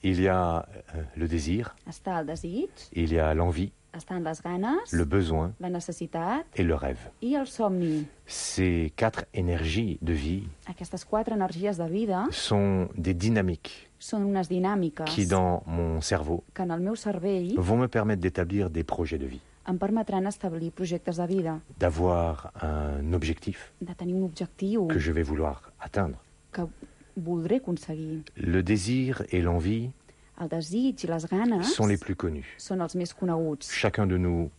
Il y a euh, le désir. Està el desig. Il y a l'envie. Estan les ganes, le besoin, la necessitat et le rêve. I el somni. Ces quatre énergies de vie Aquestes quatre energies de vida sont des dynamiques són unes dinàmiques qui, dans mon cerveau, que en el meu cervell vont me permettre d'établir des projets de vie. Em permetran establir projectes de vida. D'avoir un objectif de tenir un objectiu que je vais vouloir atteindre. Que voldré aconseguir. Le désir et l'envie el desig i les ganes sont les plus connus. Són els més coneguts. Chacun de nous,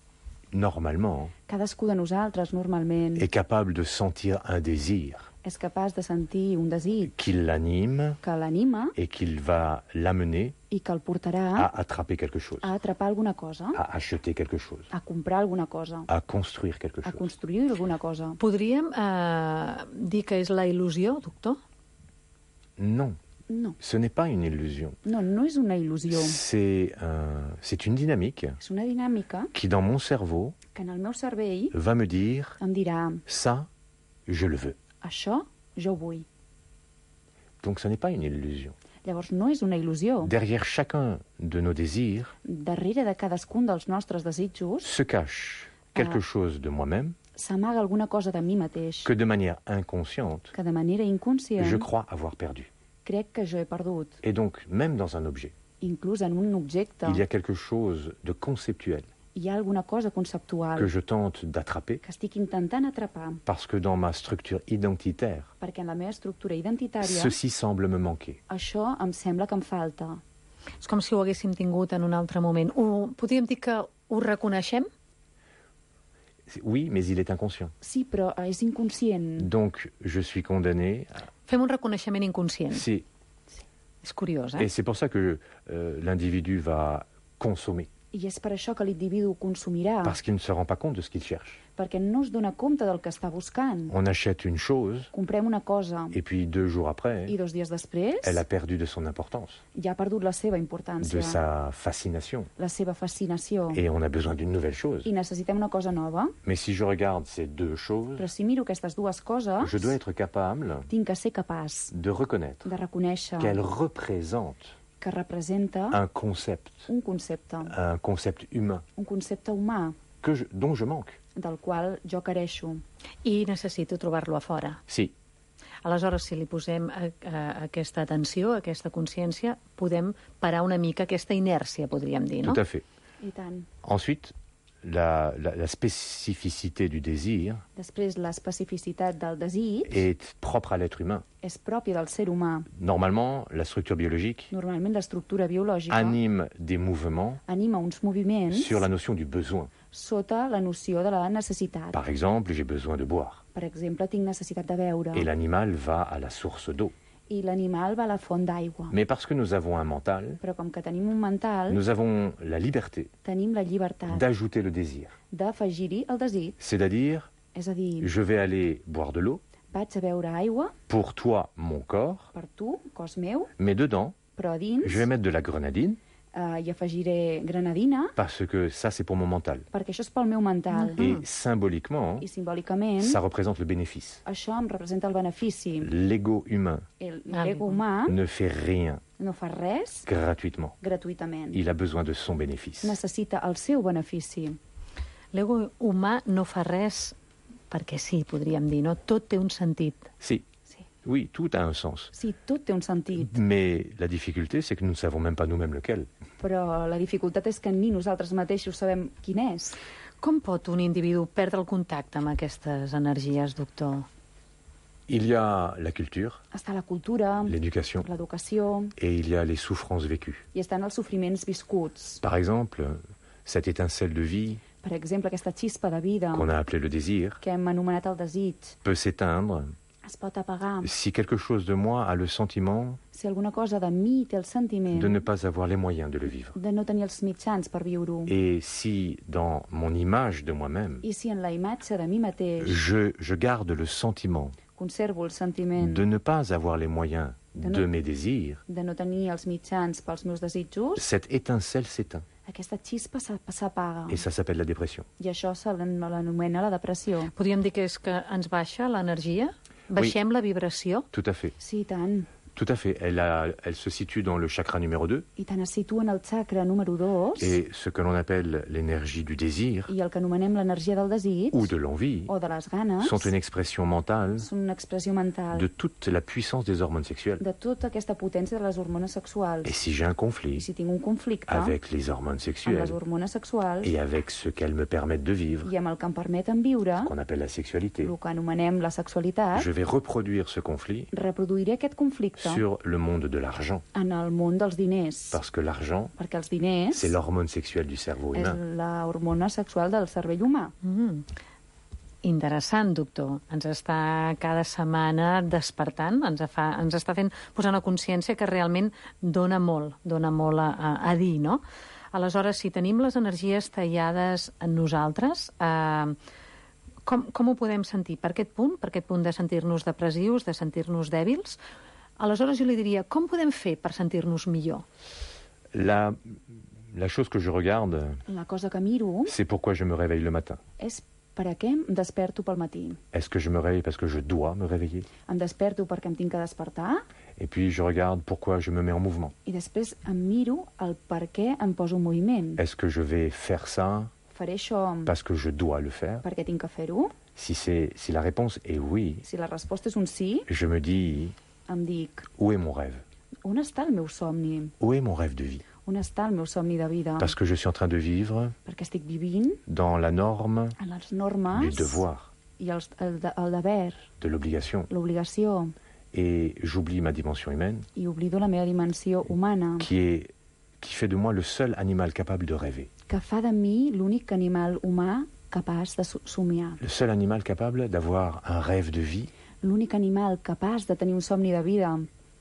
normalement, cadascú de nosaltres, normalment, est capable de sentir un désir. És capaç de sentir un desig qui l'anime, que l'anima et qu'il va l'amener i que el portarà à attraper quelque chose, a atrapar alguna cosa, à acheter quelque chose, a comprar alguna cosa, à construire quelque chose. A construir alguna cosa. Podríem eh, dir que és la il·lusió, doctor? Non. No. Ce n'est pas une illusion. No, no és una il·lusió. C'est euh, c'est une dynamique. És una dinàmica qui, dans mon cerveau, que en el meu cervell va me dire em dirà ça, je le veux. Això, jo ho vull. Donc, ce n'est pas une illusion. Llavors, no és una il·lusió. Derrière chacun de nos désirs, darrere de cadascun dels nostres desitjos, se cache quelque uh, chose de moi-même, s'amaga alguna cosa de mi mateix, que de manière inconsciente, que de manera inconscient, je crois avoir perdu. Crec que jo he perdut. Et donc, même dans un objet, inclús en un objecte, il y a quelque chose de conceptuel, hi ha alguna cosa conceptual que je tente d'attraper, que estic intentant atrapar, parce que dans ma structure identitaire, perquè en la meva estructura identitària ceci semble me manquer. això em sembla que em falta. És com si ho haguéssim tingut en un altre moment. Ho, podríem dir que ho reconeixem? Oui, mais il est inconscient. Sí, però és inconscient. Donc, je suis condamné... À... Fem un reconeixement inconscient. Si. Sí. És curiós, eh? Et c'est pour ça que euh, l'individu va consommer. I és per això que l'individu consumirà. Parce qu'il ne se rend pas compte de ce qu'il cherche. Perquè no es dona compte del que està buscant. On achète une chose. Comprem una cosa. Et puis deux jours après, I dos dies després, elle a perdu de son importance. Ja ha perdut la seva importància. De sa fascination. La seva fascinació. Et on a besoin d'une nouvelle chose. I necessitem una cosa nova. Mais si je regarde ces deux choses, però si miro aquestes dues coses, je dois être capable tinc que ser capaç de reconnaître de reconèixer qu'elle représente que representa un concept, un concepte, un concept humain, un concepte humà que je, dont je manque. Del qual jo careixo. I necessito trobar-lo a fora. Sí. Aleshores, si li posem a, a, aquesta atenció, aquesta consciència, podem parar una mica aquesta inèrcia, podríem dir, no? Tout à fait. I tant. Ensuite, la, la, la spécificité du désir Després, l'especificitat del desig est propre à l'être humain. és pròpia del ser humà. Normalement, la structure biologique Normalment, l'estructura biològica anime des mouvements anima uns moviments sur la notion du besoin. sota la noció de la necessitat. Par exemple, j'ai besoin de boire. Per exemple, tinc necessitat de beure. Et l'animal va à la source d'eau. I l'animal va a la font d'aigua. Mais parce que nous avons un mental, Però com que tenim un mental, nous avons la liberté tenim la llibertat d'ajouter le désir. d'afegir-hi el desig. C'est-à-dire, És a dir, je vais aller boire de l'eau vaig a beure aigua pour toi, mon corps, per tu, cos meu, mais dedans, però a dins je vais mettre de la grenadine eh, hi afegiré granadina, parce que ça, c'est pour mon mental. perquè això és pel meu mental. Et symboliquement, I simbòlicament, ça représente le bénéfice. això em representa el benefici. L'ego humain El- L'ego humà ne fait rien no fa res gratuitement. gratuïtament. Il a besoin de son bénéfice. Necessita el seu benefici. L'ego humà no fa res perquè sí, podríem dir, no? Tot té un sentit. Si. Sí. Oui, tout a un sens. Sí, tot té un sentit, Mais la difficulté, c'est que nous ne savons même pas nous-mêmes lequel. però la dificultat és que ni nosaltres mateixos sabem quin és. Com pot un individu perdre el contacte amb aquestes energies, doctor? Il y a la culture, Està la cultura, l'éducation, l'educació, et il y a les souffrances vécues. i estan els sofriments viscuts. Par exemple, cette étincelle de vie Per exemple, aquesta xispa de vida qu'on a appelée le désir que hem anomenat el desig peut s'éteindre es pot apagar si quelque chose de moi a le sentiment si alguna cosa de mi té el sentiment de ne pas avoir les moyens de le vivre. de no tenir els mitjans per viure-ho. Et si, dans mon image de moi-même, I si en la imatge de mi mateix je, je garde le sentiment conservo el sentiment de ne pas avoir les moyens De de no- mes désirs, de no tenir els mitjans pels meus desitjos, cette étincelle s'éteint. aquesta xispa s'a- s'apaga. Et ça s'appelle la dépression. I això se l'an- l'anomena la depressió. Podríem dir que és que ens baixa l'energia? Baixem la vibració? Tout à fait. Sí, i tant. Tout à fait. Elle, a, elle se situe dans le chakra numéro deux. I tant es situa en el xacra número dos Et ce que l'on appelle l'énergie du désir i el que anomenem l'energia del desig ou de l'envie o de les ganes sont une expression mentale són una expressió mental de toute la puissance des hormones sexuelles. de tota aquesta potència de les hormones sexuals. Et si j'ai un I conflit si tinc un conflicte avec les hormones amb les sexuelles hormones sexuals et avec ce qu'elles me permettent de vivre, i amb el que em permeten viure, qu'on appelle la sexualité, el que anomenem la sexualitat, je vais reproduire ce conflit reproduiré aquest conflicte sur le monde de l'argent. en el món dels diners. Parce que l'argent, Perquè els diners c'est l'hormone sexuelle du cerveau és humain. la hormona sexual del cervell humà. Mm. Interessant, doctor. Ens està cada setmana despertant, ens, fa, ens està fent posar una consciència que realment dona molt, dona molt a, a, a dir, no? Aleshores, si tenim les energies tallades en nosaltres, eh, com, com ho podem sentir? Per aquest punt? Per aquest punt de sentir-nos depressius, de sentir-nos dèbils? Aleshores, jo li diria, com podem fer per sentir-nos millor? La, la chose que je regarde, La cosa que miro c'est pourquoi je me réveille le matin. és per a què em desperto pel matí. Est-ce que je me réveille parce que je dois me réveiller? Em desperto perquè em tinc que despertar Et puis je regarde pourquoi je me mets en mouvement. i després em miro el per què em poso en moviment. Est-ce que je vais faire ça Faré això parce que je dois le faire? perquè tinc que fer-ho? Si, c'est, si la réponse est oui, Si la resposta és un sí, je me dis, em dic, où est mon rêve? on està el meu somni? Où est mon rêve de vie? On està el meu somni de vida? Parce que je suis en train de vivre Perquè estic vivint dans la norme en les normes du devoir, i els, el, de, el deber, de l'obligation. l'obligació, Et j'oublie ma dimension humaine, i oblido la meva dimensió humana, qui, est, qui fait de moi le seul animal capable de rêver. que fa de mi l'únic animal humà capaç de somiar. Le seul animal capable d'avoir un rêve de vie L'únic animal capaç de tenir un somni de vida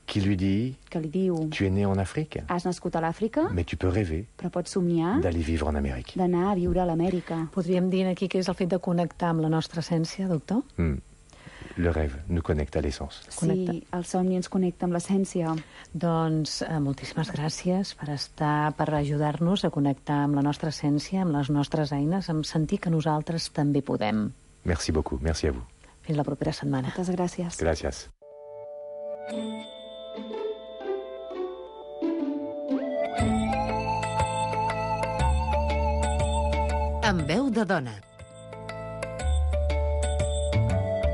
qui lui dit que li diu: tu es né en Afrique, has nascut a l'Àfrica, mais tu peux rêver però pots somniar d'aller vivre en Amérique. d'anar a viure a l'Amèrica. Podríem dir aquí que és el fet de connectar amb la nostra essència, doctor? Hmm. Le rêve nous connecte à l'essence. Sí, el somni ens connecta amb l'essència. Doncs eh, moltíssimes gràcies per estar, per ajudar-nos a connectar amb la nostra essència, amb les nostres eines, amb sentir que nosaltres també podem. Merci beaucoup, merci à vous. Fins la propera setmana. Moltes gràcies. Gràcies. Amb veu de dona.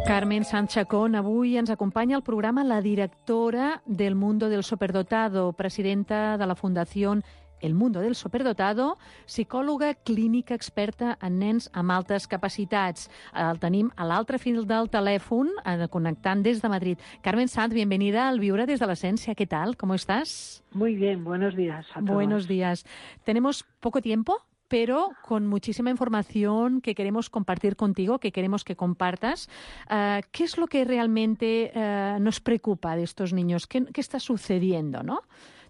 Carmen Sanz Chacón, avui ens acompanya al programa la directora del Mundo del Superdotado, presidenta de la Fundació El Mundo del Superdotado, psicòloga clínica experta en nens amb altes capacitats. El tenim a l'altre fil del telèfon, connectant des de Madrid. Carmen Sanz, bienvenida al Viure desde la Esencia. ¿Qué tal? ¿Cómo estás? Muy bien, buenos días a todos. Buenos días. Tenemos poco tiempo, pero con muchísima información que queremos compartir contigo, que queremos que compartas. Uh, ¿Qué es lo que realmente uh, nos preocupa de estos niños? ¿Qué, qué está sucediendo, no?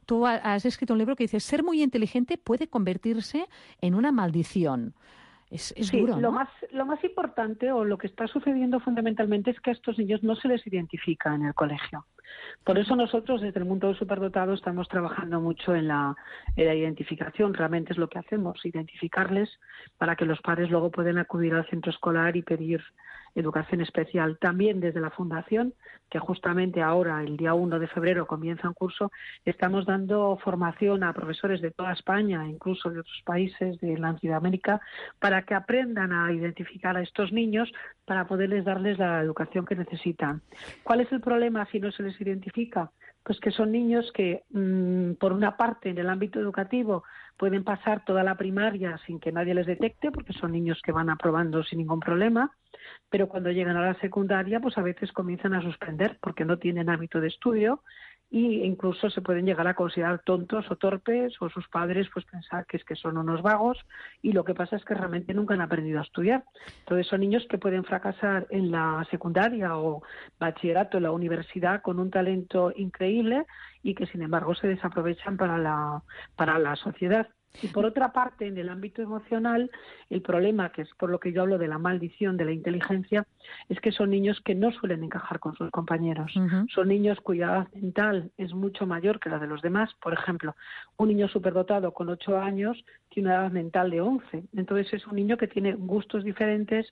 Tú has escrito un libro que dice: ser muy inteligente puede convertirse en una maldición. Es, es sí, duro, ¿no? Lo más, lo más importante, o lo que está sucediendo fundamentalmente, es que a estos niños no se les identifica en el colegio. Por eso nosotros, desde el Mundo del Superdotado, estamos trabajando mucho en la, en la identificación. Realmente es lo que hacemos, identificarles para que los padres luego puedan acudir al centro escolar y pedir educación especial. También desde la Fundación, que justamente ahora, el día uno de febrero, comienza un curso, estamos dando formación a profesores de toda España, incluso de otros países de Latinoamérica, para que aprendan a identificar a estos niños para poderles darles la educación que necesitan. ¿Cuál es el problema si no se les identifica? Pues que son niños que, mmm, por una parte, en el ámbito educativo, pueden pasar toda la primaria sin que nadie les detecte, porque son niños que van aprobando sin ningún problema, pero cuando llegan a la secundaria, pues a veces comienzan a suspender porque no tienen hábito de estudio, e incluso se pueden llegar a considerar tontos o torpes, o sus padres pues pensar que es que son unos vagos, y lo que pasa es que realmente nunca han aprendido a estudiar. Entonces son niños que pueden fracasar en la secundaria o bachillerato, en la universidad, con un talento increíble y que sin embargo se desaprovechan para la, para la sociedad. Y por otra parte, en el ámbito emocional, el problema, que es por lo que yo hablo de la maldición de la inteligencia, es que son niños que no suelen encajar con sus compañeros. Uh-huh. Son niños cuya edad mental es mucho mayor que la de los demás. Por ejemplo, un niño superdotado con ocho años tiene una edad mental de once. Entonces es un niño que tiene gustos diferentes,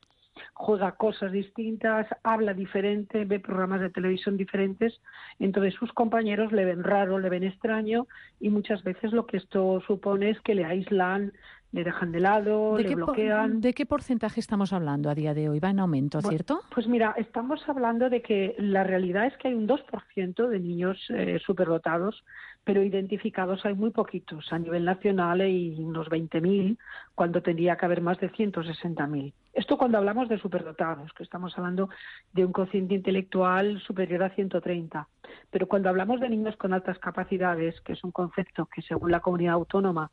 juega cosas distintas, habla diferente, ve programas de televisión diferentes, entonces sus compañeros le ven raro, le ven extraño, y muchas veces lo que esto supone es que le aíslan, le dejan de lado, ¿De le qué bloquean. ¿De qué porcentaje estamos hablando a día de hoy? Va en aumento, ¿cierto? Bueno, pues mira, estamos hablando de que la realidad es que hay un dos por ciento de niños eh, superdotados, pero identificados hay muy poquitos. A nivel nacional hay unos veinte mil, cuando tendría que haber más de ciento sesenta mil. Esto cuando hablamos de superdotados, que estamos hablando de un cociente intelectual superior a ciento treinta. Pero cuando hablamos de niños con altas capacidades, que es un concepto que según la comunidad autónoma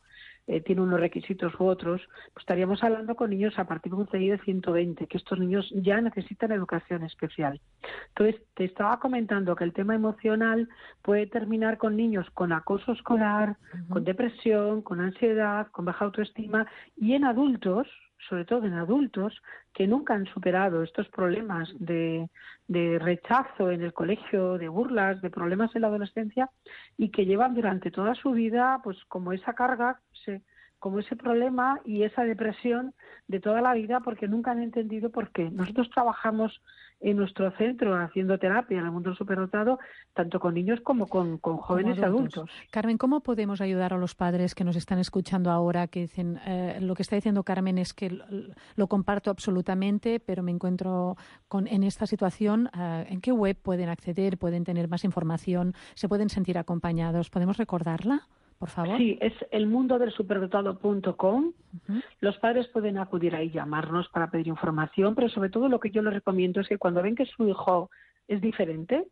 eh, tiene unos requisitos u otros, pues estaríamos hablando con niños a partir de un C I de ciento veinte, que estos niños ya necesitan educación especial. Entonces, te estaba comentando que el tema emocional puede terminar con niños con acoso escolar, uh-huh. con depresión, con ansiedad, con baja autoestima, y en adultos, sobre todo en adultos, que nunca han superado estos problemas de, de rechazo en el colegio, de burlas, de problemas en la adolescencia, y que llevan durante toda su vida pues como esa carga, se, como ese problema y esa depresión de toda la vida, porque nunca han entendido por qué. Nosotros trabajamos en nuestro centro haciendo terapia en el mundo superdotado, tanto con niños como con, con jóvenes y adultos. Carmen, ¿cómo podemos ayudar a los padres que nos están escuchando ahora, que dicen, eh, lo que está diciendo Carmen es que lo, lo comparto absolutamente, pero me encuentro con, en esta situación? Eh, ¿En qué web pueden acceder? ¿Pueden tener más información? ¿Se pueden sentir acompañados? ¿Podemos recordarla? por favor. Sí, es el mundo del superdotado punto com. Uh-huh. Los padres pueden acudir ahí, llamarnos para pedir información, pero sobre todo lo que yo les recomiendo es que cuando ven que su hijo es diferente,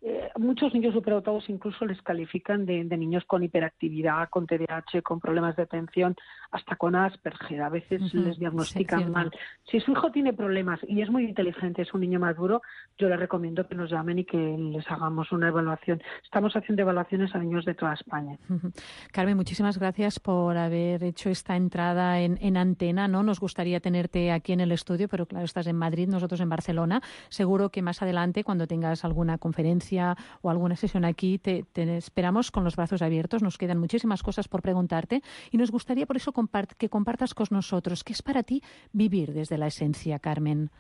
eh, muchos niños superdotados incluso les califican de, de niños con hiperactividad, con T D A H, con problemas de atención, hasta con Asperger. A veces uh-huh. les diagnostican sí, mal. Si su hijo tiene problemas y es muy inteligente, es un niño maduro, yo les recomiendo que nos llamen y que les hagamos una evaluación. Estamos haciendo evaluaciones a niños de toda España. Uh-huh. Carmen, muchísimas gracias por haber hecho esta entrada en, en antena, ¿no? Nos gustaría tenerte aquí en el estudio, pero claro, estás en Madrid, nosotros en Barcelona. Seguro que más adelante, cuando tengas alguna conferencia o alguna sesión aquí, te, te esperamos con los brazos abiertos. Nos quedan muchísimas cosas por preguntarte y nos gustaría por eso compart- que compartas con nosotros qué es para ti vivir desde la esencia, Carmen.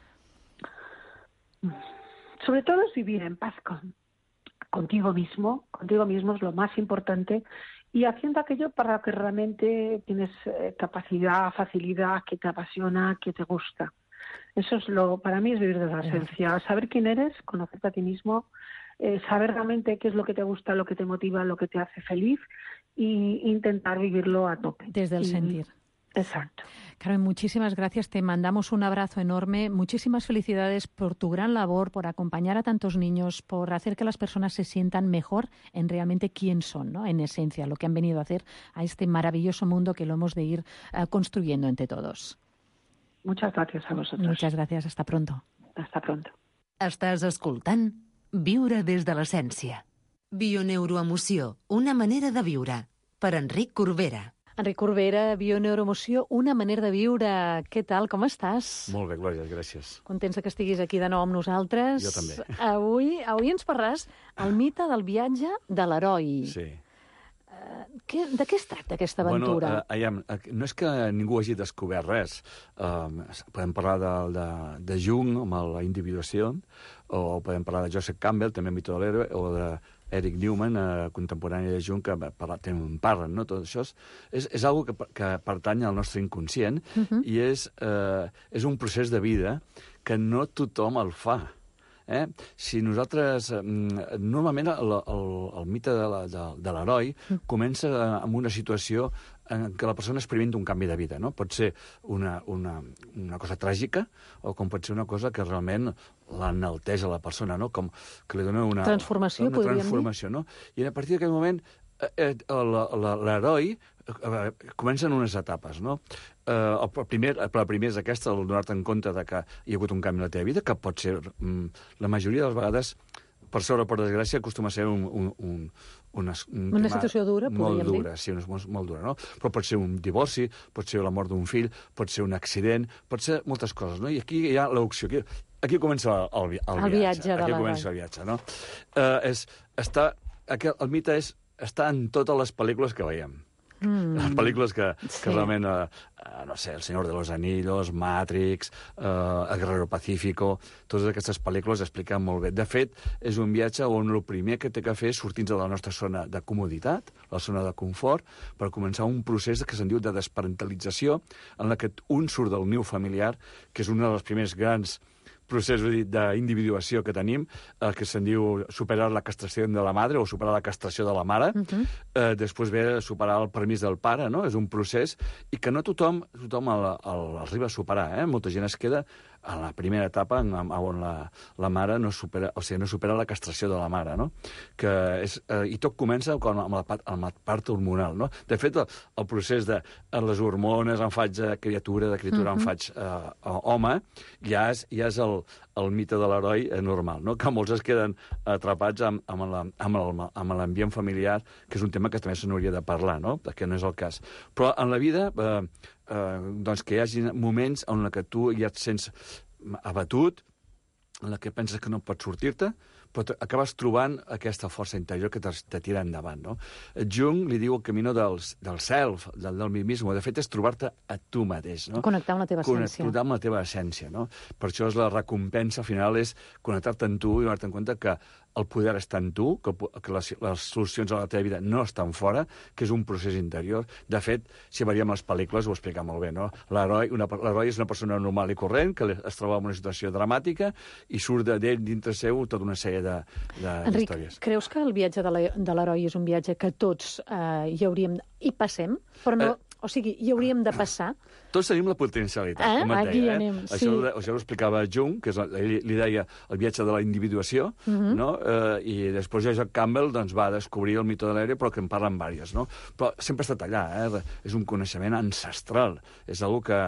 Sobre todo es vivir en paz con, contigo mismo, contigo mismo es lo más importante, y haciendo aquello para lo que realmente tienes eh, capacidad, facilidad, que te apasiona, que te gusta. Eso es lo, para mí es vivir desde la esencia, saber quién eres, conocerte a ti mismo, eh, saber realmente qué es lo que te gusta, lo que te motiva, lo que te hace feliz, y intentar vivirlo a tope. Desde el y, sentir. Exacto. Carmen, muchísimas gracias. Te mandamos un abrazo enorme. Muchísimas felicidades por tu gran labor, por acompañar a tantos niños, por hacer que las personas se sientan mejor en realmente quién son, ¿no? En esencia, lo que han venido a hacer a este maravilloso mundo que lo hemos de ir uh, construyendo entre todos. Muchas gracias a vosotros. Muchas gracias. Hasta pronto. Hasta pronto. Estàs escoltant Viure des de l'essència. Bioneuroemoció, una manera de viure. Per Enric Corbera. Enric Corbera, Bioneuroemoció, una manera de viure. Què tal, com estàs? Molt bé, Glòria, gràcies. Contents que estiguis aquí de nou amb nosaltres. Jo també. Avui, avui ens parlaràs el mite del viatge de l'heroi. Sí. Uh, què, de què es tracta aquesta aventura? Bueno, uh, aviam, no és que ningú hagi descobert res. Uh, podem parlar de, de, de Jung, amb la individuació, o podem parlar de Joseph Campbell, també el mite de l'heroi, o de Eric Newman, eh, contemporani de Jung, que parla, en parlen, no? Tot això és, és, és algo que, que pertany al nostre inconscient uh-huh. i és, eh, és un procés de vida que no tothom el fa. Eh? Si nosaltres... Eh, normalment el, el, el mite de, la, de, de l'heroi uh-huh. comença amb una situació en què la persona experimenta un canvi de vida, no? Pot ser una, una, una cosa tràgica o com pot ser una cosa que realment l'enalteix a la persona, no? Com que li dona una... Transformació, una podríem transformació, dir? No? I a partir d'aquell moment eh, l'heroi eh, comencen unes etapes, no? Eh, el primer, el primer és aquesta, el donar-te en compte de que hi ha hagut un canvi en la teva vida, que pot ser, mm, la majoria de les vegades, per sort o per desgràcia, acostuma a ser un, un, un, una, un una situació dura, molt podríem dura, dir. sí, molt, molt dura, no? Però pot ser un divorci, pot ser la mort d'un fill, pot ser un accident, pot ser moltes coses, no? I aquí hi ha l'opció. Aquí, aquí comença el, el, el, el viatge. viatge aquí comença el viatge, no? Uh, és, està, aquest, el mite és estar en totes les pel·lícules que veiem. Mm. Les pel·lícules que, sí. que realment, eh, no sé, El Señor de los Anillos, Matrix, eh, El Guerrero Pacífico, totes aquestes pel·lícules expliquen molt bé. De fet, és un viatge on el primer que té que fer és sortir de la nostra zona de comoditat, la zona de confort, per començar un procés que se'n diu de desparentalització, en la que un surt del niu familiar, que és un dels primers grans procés d'individuació que tenim, eh, que se'n diu superar la castració de la madre o superar la castració de la mare. Uh-huh. eh, després ve superar el permís del pare, no? És un procés i que no tothom, tothom el, el, arriba a superar. Eh? Molta gent es queda a la primera etapa on la, la mare no supera, o sigui, no supera la castració de la mare, no? Que és, eh, i tot comença amb la, amb la part hormonal, no? De fet, el, el procés de les hormones, em faig criatura, de criatura uh-huh. em faig eh, home, ja és, ja és el, el mite de l'heroi normal, no? Que molts es queden atrapats amb, amb, la, amb, amb l'ambient familiar, que és un tema que també se n'hauria de parlar, no? Que no és el cas. Però en la vida... Eh, Eh, doncs que hi hagi moments en què tu ja et sents abatut, en què penses que no pots sortir-te, però acabes trobant aquesta força interior que te, te tira endavant, no? Jung li diu el camí del, del self, del, del mi mismo. De fet, és trobar-te a tu mateix, no? Connectar amb la teva essència. Connectar amb la teva essència, no? Per això és la recompensa final és connectar-te amb tu i donar-te en compte que el poder està en tu, que, que les, les solucions a la teva vida no estan fora, que és un procés interior. De fet, si veiem les pel·lícules ho explica molt bé, no? L'heroi és una persona normal i corrent que es troba en una situació dramàtica i surt d'ell dintre seu tota una sèrie de, de, Enric, d'històries. creus que el viatge de la- de l'heroi és un viatge que tots eh, hi hauríem... hi passem, però no... Eh. O sigui, hi hauríem de passar? Tots tenim la potencialitat, Eh? com et Aquí deia. anem, eh? sí. Això, ho- això ho explicava Jung, que és, la- ell li deia el viatge de la individuació, Mhm. no? eh, i després Joseph Campbell doncs, va descobrir el mite de l'aire, però que en parlen diverses. No? Però sempre ha estat allà, eh? És un coneixement ancestral, és una que,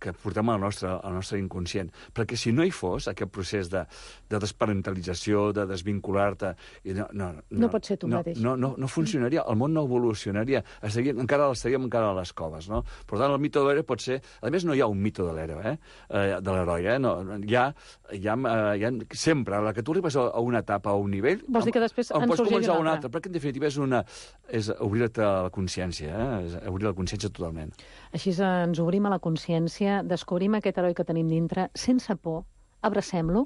que portem al nostre, al nostre inconscient. Perquè si no hi fos aquest procés de, de desparentalització, de desvincular-te... i No, no, no, No pot ser tu no, mateix. No, no, no funcionaria, el món no evolucionaria, estaríem, encara estaríem encara a les coves, no? Per tant, el mite de l'heroi pot ser... A més, no hi ha un mite de l'heroi, eh? eh? de l'heroi, eh? No, hi, ha, hi, ha, eh, hi ha... Sempre, a la que tu arribes a, a una etapa, a un nivell... Vols dir que després en en pots sorgeix començar una una altra? altra, perquè en definitiva és, una, és obrir-te a la consciència, eh? És obrir la consciència totalment. Així ens obrim a la consciència, descobrim aquest heroi que tenim dintre, sense por, abracem-lo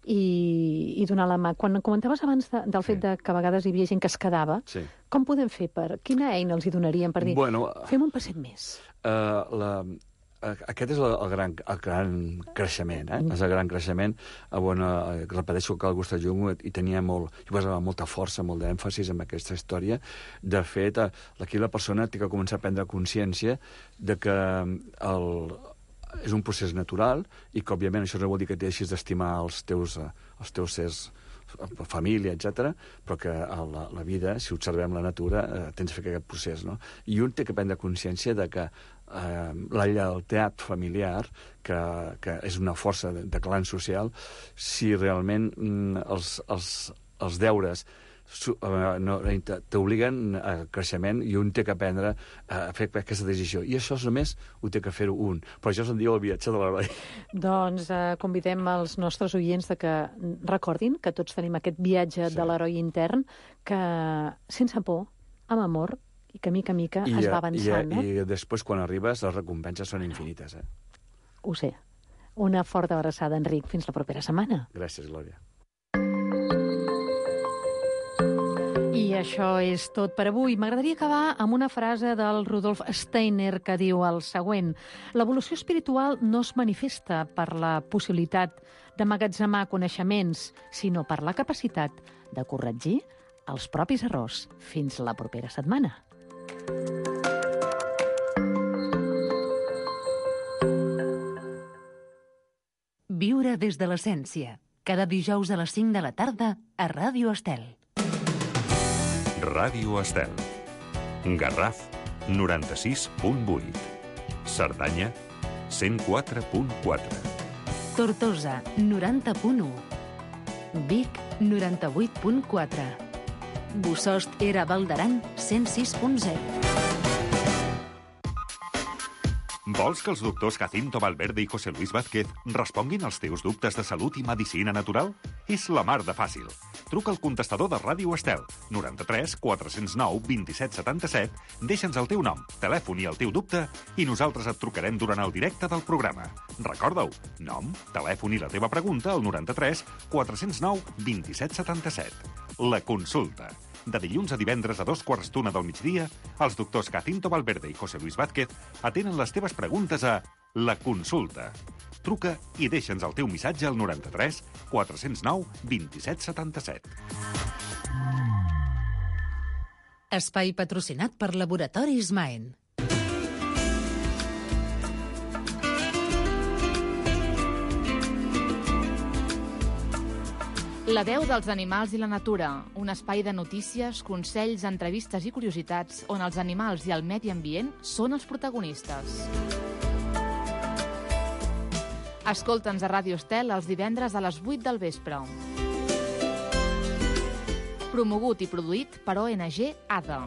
i, i donar la mà. Quan comentaves abans de, del fet de que a vegades hi havia gent que es quedava, Sí. com podem fer per... Quina eina els hi donaríem per dir, Bueno, fem un passet més? Uh, la, uh, aquest és el, el, gran, el gran creixement, eh? És el gran creixement on, uh, repeteixo que el Gustav Jung hi tenia molt, hi posava molta força, molt d'èmfasis en aquesta història. De fet, uh, aquí la persona té que començar a prendre consciència de que el, és un procés natural i que, òbviament, això no vol dir que deixis d'estimar els teus, uh, els teus sers, família, etcètera, però que a la, la vida, si observem la natura, eh, tens de fer aquest procés, no? I un té que prendre consciència de que eh, la lleialtat familiar, que, que és una força de, de clan social, si realment mm, els, els, els deures su, eh, no, t'obliguen a creixement i un té que aprendre a fer aquesta decisió. I això només ho té que fer-ho un. Però això se'n diu el viatge de l'heroi. Doncs eh, convidem els nostres oients de que recordin que tots tenim aquest viatge sí. de l'heroi intern que, sense por, amb amor, i que mica a mica I, es va avançant. I, i després, quan arribes, les recompenses són infinites. Eh? Ho sé. Una forta abraçada, Enric. Fins la propera setmana. Gràcies, Glòria. I això és tot per avui. M'agradaria acabar amb una frase del Rudolf Steiner que diu el següent: l'evolució espiritual no es manifesta per la possibilitat d'emmagatzemar coneixements, sinó per la capacitat de corregir els propis errors. Fins la propera setmana. Viure des de l'essència. Cada dijous a les cinc de la tarda a Ràdio Estel. Ràdio Estel. Garraf, noranta-sis punt vuit. Cerdanya, cent quatre punt quatre. Tortosa, noranta punt u. Vic, noranta-vuit punt quatre. Bossòst era Val d'Aran, cent sis punt zero. Vols que els doctors Jacinto Valverde i José Luis Vázquez responguin als teus dubtes de salut i medicina natural? És la mar de fàcil. Truca al contestador de Ràdio Estel, noranta-tres quatre cents nou vint-i-set setanta-set, deixa'ns el teu nom, telèfon i el teu dubte i nosaltres et trucarem durant el directe del programa. Recorda-ho, nom, telèfon i la teva pregunta al noranta-tres quatre cents nou vint-i-set setanta-set. La consulta. De dilluns a divendres a dos quarts d'una del migdia, els doctors Jacinto Valverde i José Luis Vázquez atenen les teves preguntes a La Consulta. Truca i deixa'ns el teu missatge al noranta-tres quatre cents nou vint-i-set setanta-set. Espai patrocinat per Laboratoris Maen. La veu dels animals i la natura, un espai de notícies, consells, entrevistes i curiositats on els animals i el medi ambient són els protagonistes. Escolta'ns a Ràdio Estel els divendres a les vuit del vespre. Promogut i produït per O N G A D A.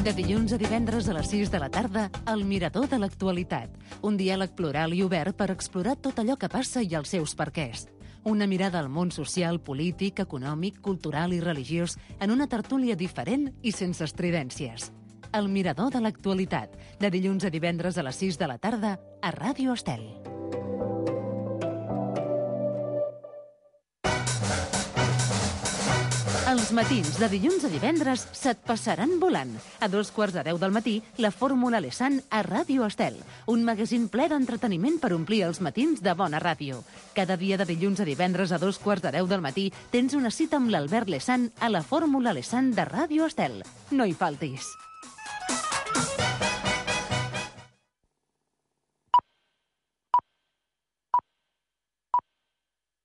De dilluns a divendres a les sis de la tarda, El Mirador de l'Actualitat. Un diàleg plural i obert per explorar tot allò que passa i els seus perquès. Una mirada al món social, polític, econòmic, cultural i religiós en una tertúlia diferent i sense estridències. El Mirador de l'Actualitat. De dilluns a divendres a les sis de la tarda a Ràdio Estel. Els Els matins de dilluns a divendres se't passaran volant. A dos quarts de deu del matí, la Fórmula Lesan a Ràdio Estel. Un magazín ple d'entreteniment per omplir els matins de bona ràdio. Cada dia de dilluns a divendres a dos quarts de deu del matí tens una cita amb l'Albert Lesan a la Fórmula Lesan de Ràdio Estel. No hi faltis.